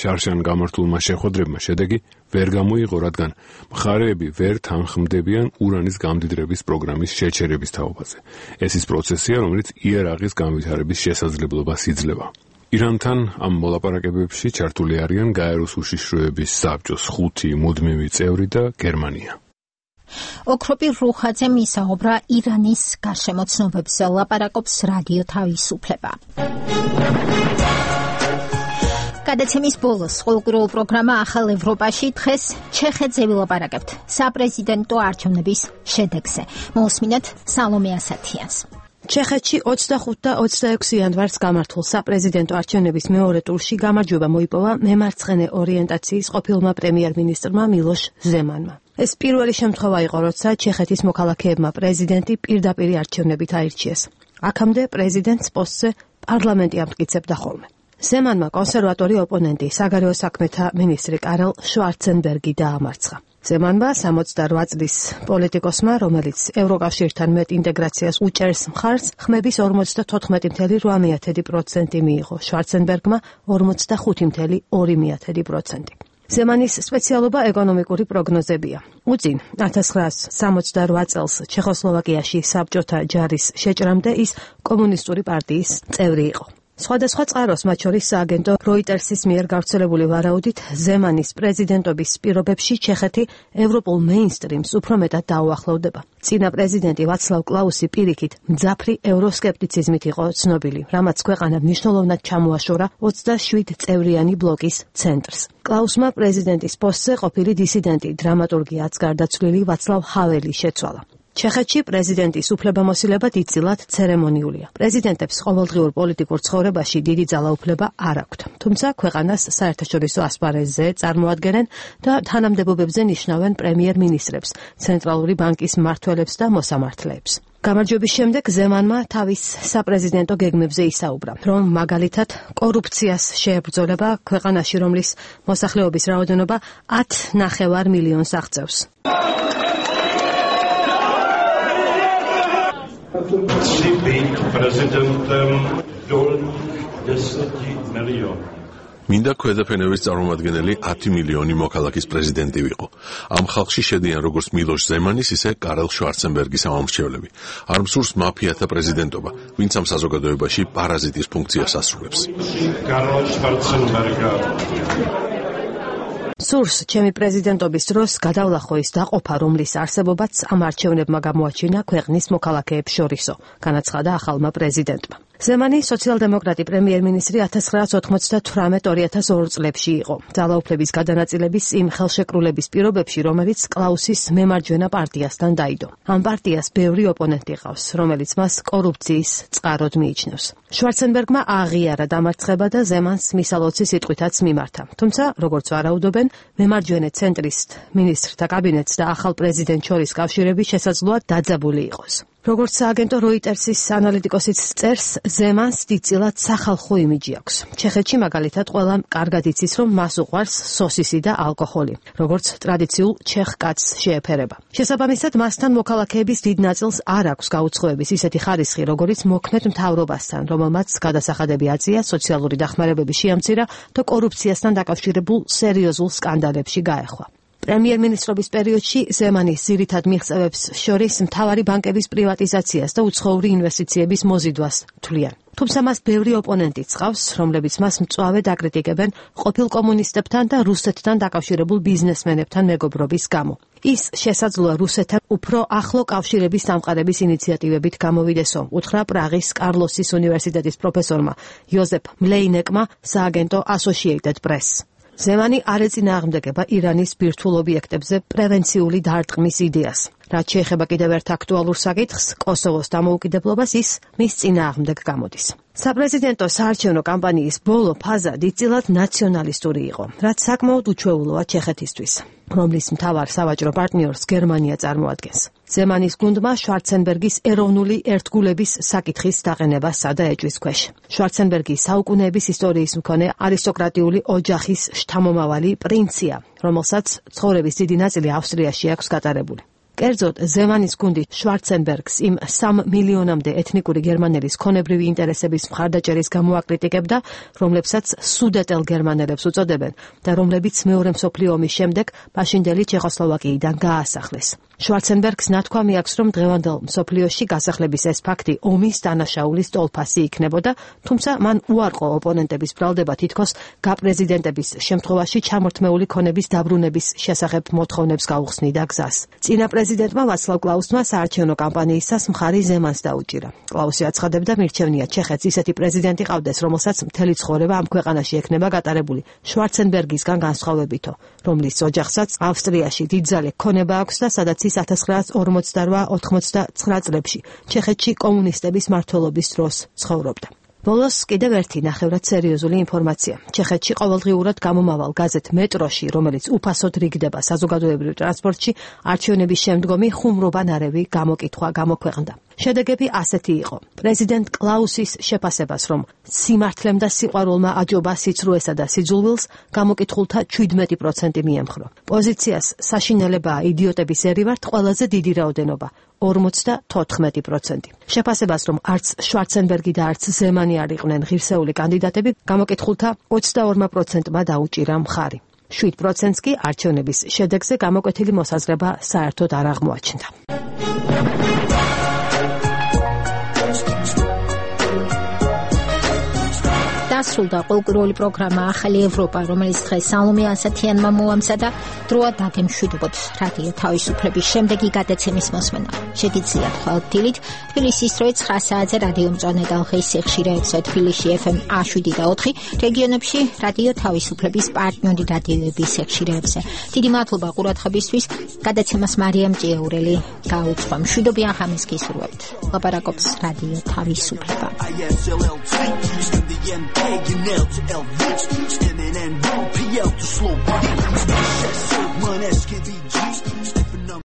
შარშან გამართულმა შეხვედრებმა შედეგი ვერ გამოიღო, რადგან მხარეები ვერ თანხმდებიან ურანის გამდიდრების პროგრამის შეჩერების თაობაზე. ეს ის პროცესია, რომელიც იარაღის განვითარების შესაძლებლობას იძლევა. ირანთან ამ მოლაპარაკებებში ჩართული არიან გაეროს უშიშროების საბჭოს 5 მუდმივი წევრი და გერმანია. ოქროპი რუხაძე მისაუბრა ირანის გარშემოცნობებზე, ლაპარაკობს რადიო თავისუფლება. გადაცემის ბოლოს ყოველკვირეულ პროგრამა ახალ ევროპაში დღეს ჩეხეთზე ვილაპარაკებთ საპრეზიდენტო არჩევნების შედეგზე. მოусმინეთ სალომე ასათიანს. ჩეხეთში 25 და 26 იანვარს გამართულ საპრეზიდენტო არჩევნების მეორე ტურში გამარჯვება მოიპოვა მემარცხენე ორიენტაციის ყოფილმა პრემიერ-მინისტრმა მილოშ ზემანმა. ეს პირველი შემთხვევა იყო, როცა ჩეხეთის მოქალაქეებმა პრეზიდენტი პირდაპირ არჩევნებით აირჩიეს. აქამდე პრეზიდენტს პოსტზე პარლამენტი ამტკიცებდა ხოლმე. ზემანმა კონსერვატორი ოპონენტი, საგარეო საქმეთა მინისტრი კარლ შვარცენბერგი დაამარცხა. ზემანმა 68 წლის პოლიტიკოსმა, რომელიც ევროკავშირთან მეტ ინტეგრაციას უჭერს მხარს, ხმების 54.8% მიიღო, შვარცენბერგმა 45.2%. ზემანის სპეციალობა ეკონომიკური პროგნოზებია. უწინ 1968 წელს ჩეხოსლოვაკიაში საბჭოთა ჯარის შეჭრამდე ის კომუნისტური პარტიის წევრი იყო. სხვადასხვა წყაროს, მათ შორის სააგენტო როიტერსის მიერ გავრცელებული ვარაუდით, ზემანის პრეზიდენტობის პირობებში ჩეხეთი ევროპულ მეინსტრიმს უფრო მეტად დაუახლოვდება. წინა პრეზიდენტი ვაცლავ კლაუსი პირიქით მძაფრი ევროსკეპტიციზმით იყო ცნობილი, რამაც ქვეყანა მნიშვნელოვნად ჩამოაშორა 27 წევრიანი ბლოკის ცენტრს. კლაუსმა პრეზიდენტის პოსტზე ყოფილი დისიდენტი, დრამატურგი აც გარდაცვლილი ვაცლავ ჰაველი შეცვალა. ჩეხეთში პრეზიდენტის უფლებამოსილება დიდწილად ცერემონიულია. პრეზიდენტებს ყოველდღიურ პოლიტიკურ ცხოვრებაში დიდი ძალაუფლება არ აქვთ. თუმცა ქვეყანას საერთაშორისო ასპარეზზე წარმოადგენენ და თანამდებობებზე ნიშნავენ პრემიერ-მინისტრებს, ცენტრალური ბანკის მმართველებს და მოსამართლეებს. გამარჯვების შემდეგ ზემანმა თავის საპრეზიდენტო გეგმებზე ისაუბრა, რომ მაგალითად კორუფციას შეებრძოლება ქვეყანაში, რომლის მოსახლეობის რაოდენობა 10,9 მილიონს აღწევს. მინდა ქვედაფენევის წარმომადგენელი 10 მილიონი მოქალაქის პრეზიდენტი ვიყო. ამ ხალხში შედიან როგორც მილოშ ზემანის, ისე კარლ შვარცენბერგის ამომრჩევლები. არ მსურს მაფიათა პრეზიდენტობა, ვინც ამ საზოგადოებაში პარაზიტის ფუნქციას ასრულებს. სურს ჩემი პრეზიდენტობის დროს გადავლახო ის დაყოფა, რომლის არსებობაც ამ არჩევნებმა გამოაჩინა ქვეყნის მოქალაქეებს შორისო, განაცხადა ახალმა პრეზიდენტმა. ზემანი სოციალ-დემოკრატი პრემიერ-მინისტრი 1998-2002 წლებში იყო. ძალაუფლების გადანაწილების იმ ხელშეკრულების პირობებში, რომელიც კლაუსის მემარჯვენე პარტიასთან დაიდო. ამ პარტიას ბევრი ოპონენტი ყავს, რომელიც მას კორუფციის წყაროდ მიიჩნევს. შვარცენბერგმა აღიარა დამარცხება და ზემანს მისალოცი სიტყვითაც მიმართა. თუმცა, როგორც ვარაუდობენ, მემარჯვენე ცენტრისტ მინისტრთა კაბინეტს და ახალ პრეზიდენტ შორის კავშირები შესაძლოა დაძაბული იყოს. როგორც სააგენტო როიტერსის ანალიტიკოსიც წერს, ზემანს დიდწილად სახალხო იმიჯი აქვს. ჩეხეთში მაგალითად ყველამ კარგად იცის, რომ მას უყვარს სოსისი და ალკოჰოლი, როგორც ტრადიციულ ჩეხ კაცს შეეფერება. შესაბამისად, მასთან მოქალაქეების დიდ ნაწილს არ აქვს გაუცხოების ისეთი ხარისხი, როგორც მოქმედ მთავრობასთან, რომელმაც გადასახადები აწია, სოციალური დახმარებები შეამცირა და კორუფციასთან დაკავშირებულ სერიოზულ სკანდალებში გაეხვა. პრემიერ-მინისტრობის პერიოდში ზემანის ძირითად მიღწევებს შორის მთავარი ბანკების პრივატიზაციას და უცხოური ინვესტიციების მოზიდვას თვლიან. თუმცა მას ბევრი ოპონენტიც ჰყავს, რომლებიც მას მწვავედ აკრიტიკებენ ყოფილ კომუნისტებთან და რუსეთთან დაკავშირებულ ბიზნესმენებთან მეგობრობის გამო. ის შესაძლოა რუსეთთან უფრო ახლო კავშირების დამყარების ინიციატივებით გამოვიდესო, უთხრა პრაღის კარლოსის უნივერსიტეტის პროფესორმა იოზეფ მლეინეკმა სააგენტო Associated Press. ზემანი არ ეწინააღმდეგება ირანის ბირთვულ ობიექტებზე პრევენციული დარტყმის იდეას. რაც შეეხება კიდევ ერთ აქტუალურ საკითხს, კოსოვოს დამოუკიდებლობას, ის მის წინააღმდეგ გამოდის. საპრეზიდენტო საარჩევნო კამპანიის ბოლო ფაზა დიდწილად ნაციონალისტური იყო, რაც საკმაოდ უჩვეულოა ჩეხეთისთვის, რომლის მთავარ სავაჭრო პარტნიორს გერმანია წარმოადგენს. ზემანის გუნდმა შვარცენბერგის ეროვნული ერთგულების საკითხის დაყენება სადა ეჭვის ქვეშ. შვარცენბერგი საუკუნეების ისტორიის მქონე არისტოკრატიული ოჯახის შთამომავალი პრინცია, რომელსაც ცხოვრების დიდი ნაწილი ავსტრიაში აქვს გატარებული. კერძოდ, ზემანის გუნდი შვარცენბერგს იმ 3 მილიონამდე ეთნიკური გერმანელის ქონებრივი ინტერესების მხარდაჭერის გამო აკრიტიკებდა, რომლებსაც სუდეტელ გერმანელებს უწოდებენ და რომლებიც მეორე მსოფლიო ომის შემდეგ მაშინდელი ჩეხოსლოვაკიიდან გაასახლეს. შვარცენბერგს ნათქვამი აქვს, რომ დღევანდელ მსოფლიოში გასახლების ეს ფაქტი ომის დანაშაულის ტოლფასი იქნებოდა, თუმცა მან უარყო ოპონენტების ბრალდება თითქოს გაპრეზიდენტების შემთხვევაში ჩამორთმეული ქონების დაბრუნების შესახებ მოთხოვნებს გაუხსნიდა გზას. წინა პრეზიდენტმა ვაცლავ კლაუსმა საარჩევნო კამპანიისას მხარი ზემანს დაუჭირა. კლაუსი აცხადებდა, მირჩევნია ჩეხეთს ისეთი პრეზიდენტი ყავდეს, რომელსაც მთელი ცხოვრება ამ ქვეყანაში ექნება გატარებული შვარცენბერგისგან განსხვავებითო, რომლის ოჯახსაც ავსტრიაში დიდძალი ქონება აქვს და სადაც ის 1948-99 წლებში ჩეხეთში კომუნისტების მმართველობის დროს ცხოვრობდა. ბოლოს კიდევ ერთი ნახევრად სერიოზული ინფორმაცია. ჩეხეთში ყოველდღიურად გამომავალ გაზეთ მეტროში, რომელიც უფასოდ რიგდება საზოგადოებრივ ტრანსპორტში, არჩევნების შემდგომი ხუმრობანარევი გამოკითხვა გამოქვეყნდა. შედეგები ასეთი იყო. პრეზიდენტ კლაუსის შეფასებას, რომ სიმართლემ და სიყვარულმა აჯობა სიცრუესა და სიძულვილს, გამოკითხულთა 17% მიემხრო. პოზიციას საშინელებაა იდიოტების ერივართ ყველაზე დიდი რაოდენობა 54%. შეფასებას, რომ არც შვარცენბერგი და არც ზემანი არ იყვნენ ღირსეული კანდიდატები, გამოკითხულთა 22%-მა დაუჭირა მხარი. 7%-ს კი არჩევნების შედეგზე გამოკვეთილი მოსაზრება საერთოდ არ აღმოაჩნდა. დასრულდა ყოველკვირეული პროგრამა ახალი ევროპა, რომელიც დღეს სალომე ასათიანმა მოამზადა. დროა დაგემშვიდობოთ რადიო თავისუფლების შემდეგი გადაცემის მოსმენა. შეგიძლიათ ხვალ-დილით თბილისის დროით 9 საათზე რადიო მწვანე ტალღის სიხშირეებზე თბილისში FM 107 და 4, რეგიონებში რადიო თავისუფლების პარტნიორი რადიოების სიხშირეებზე. დიდი მადლობა ყურადღებისთვის. გადაცემას მარიამ ჭიაურელი გაუძღვა. მშვიდობიან ღამეს გისურვებთ. ლაპარაკობს რადიო თავისუფლება. N L to L, standing and PL to slow. Money, SKB.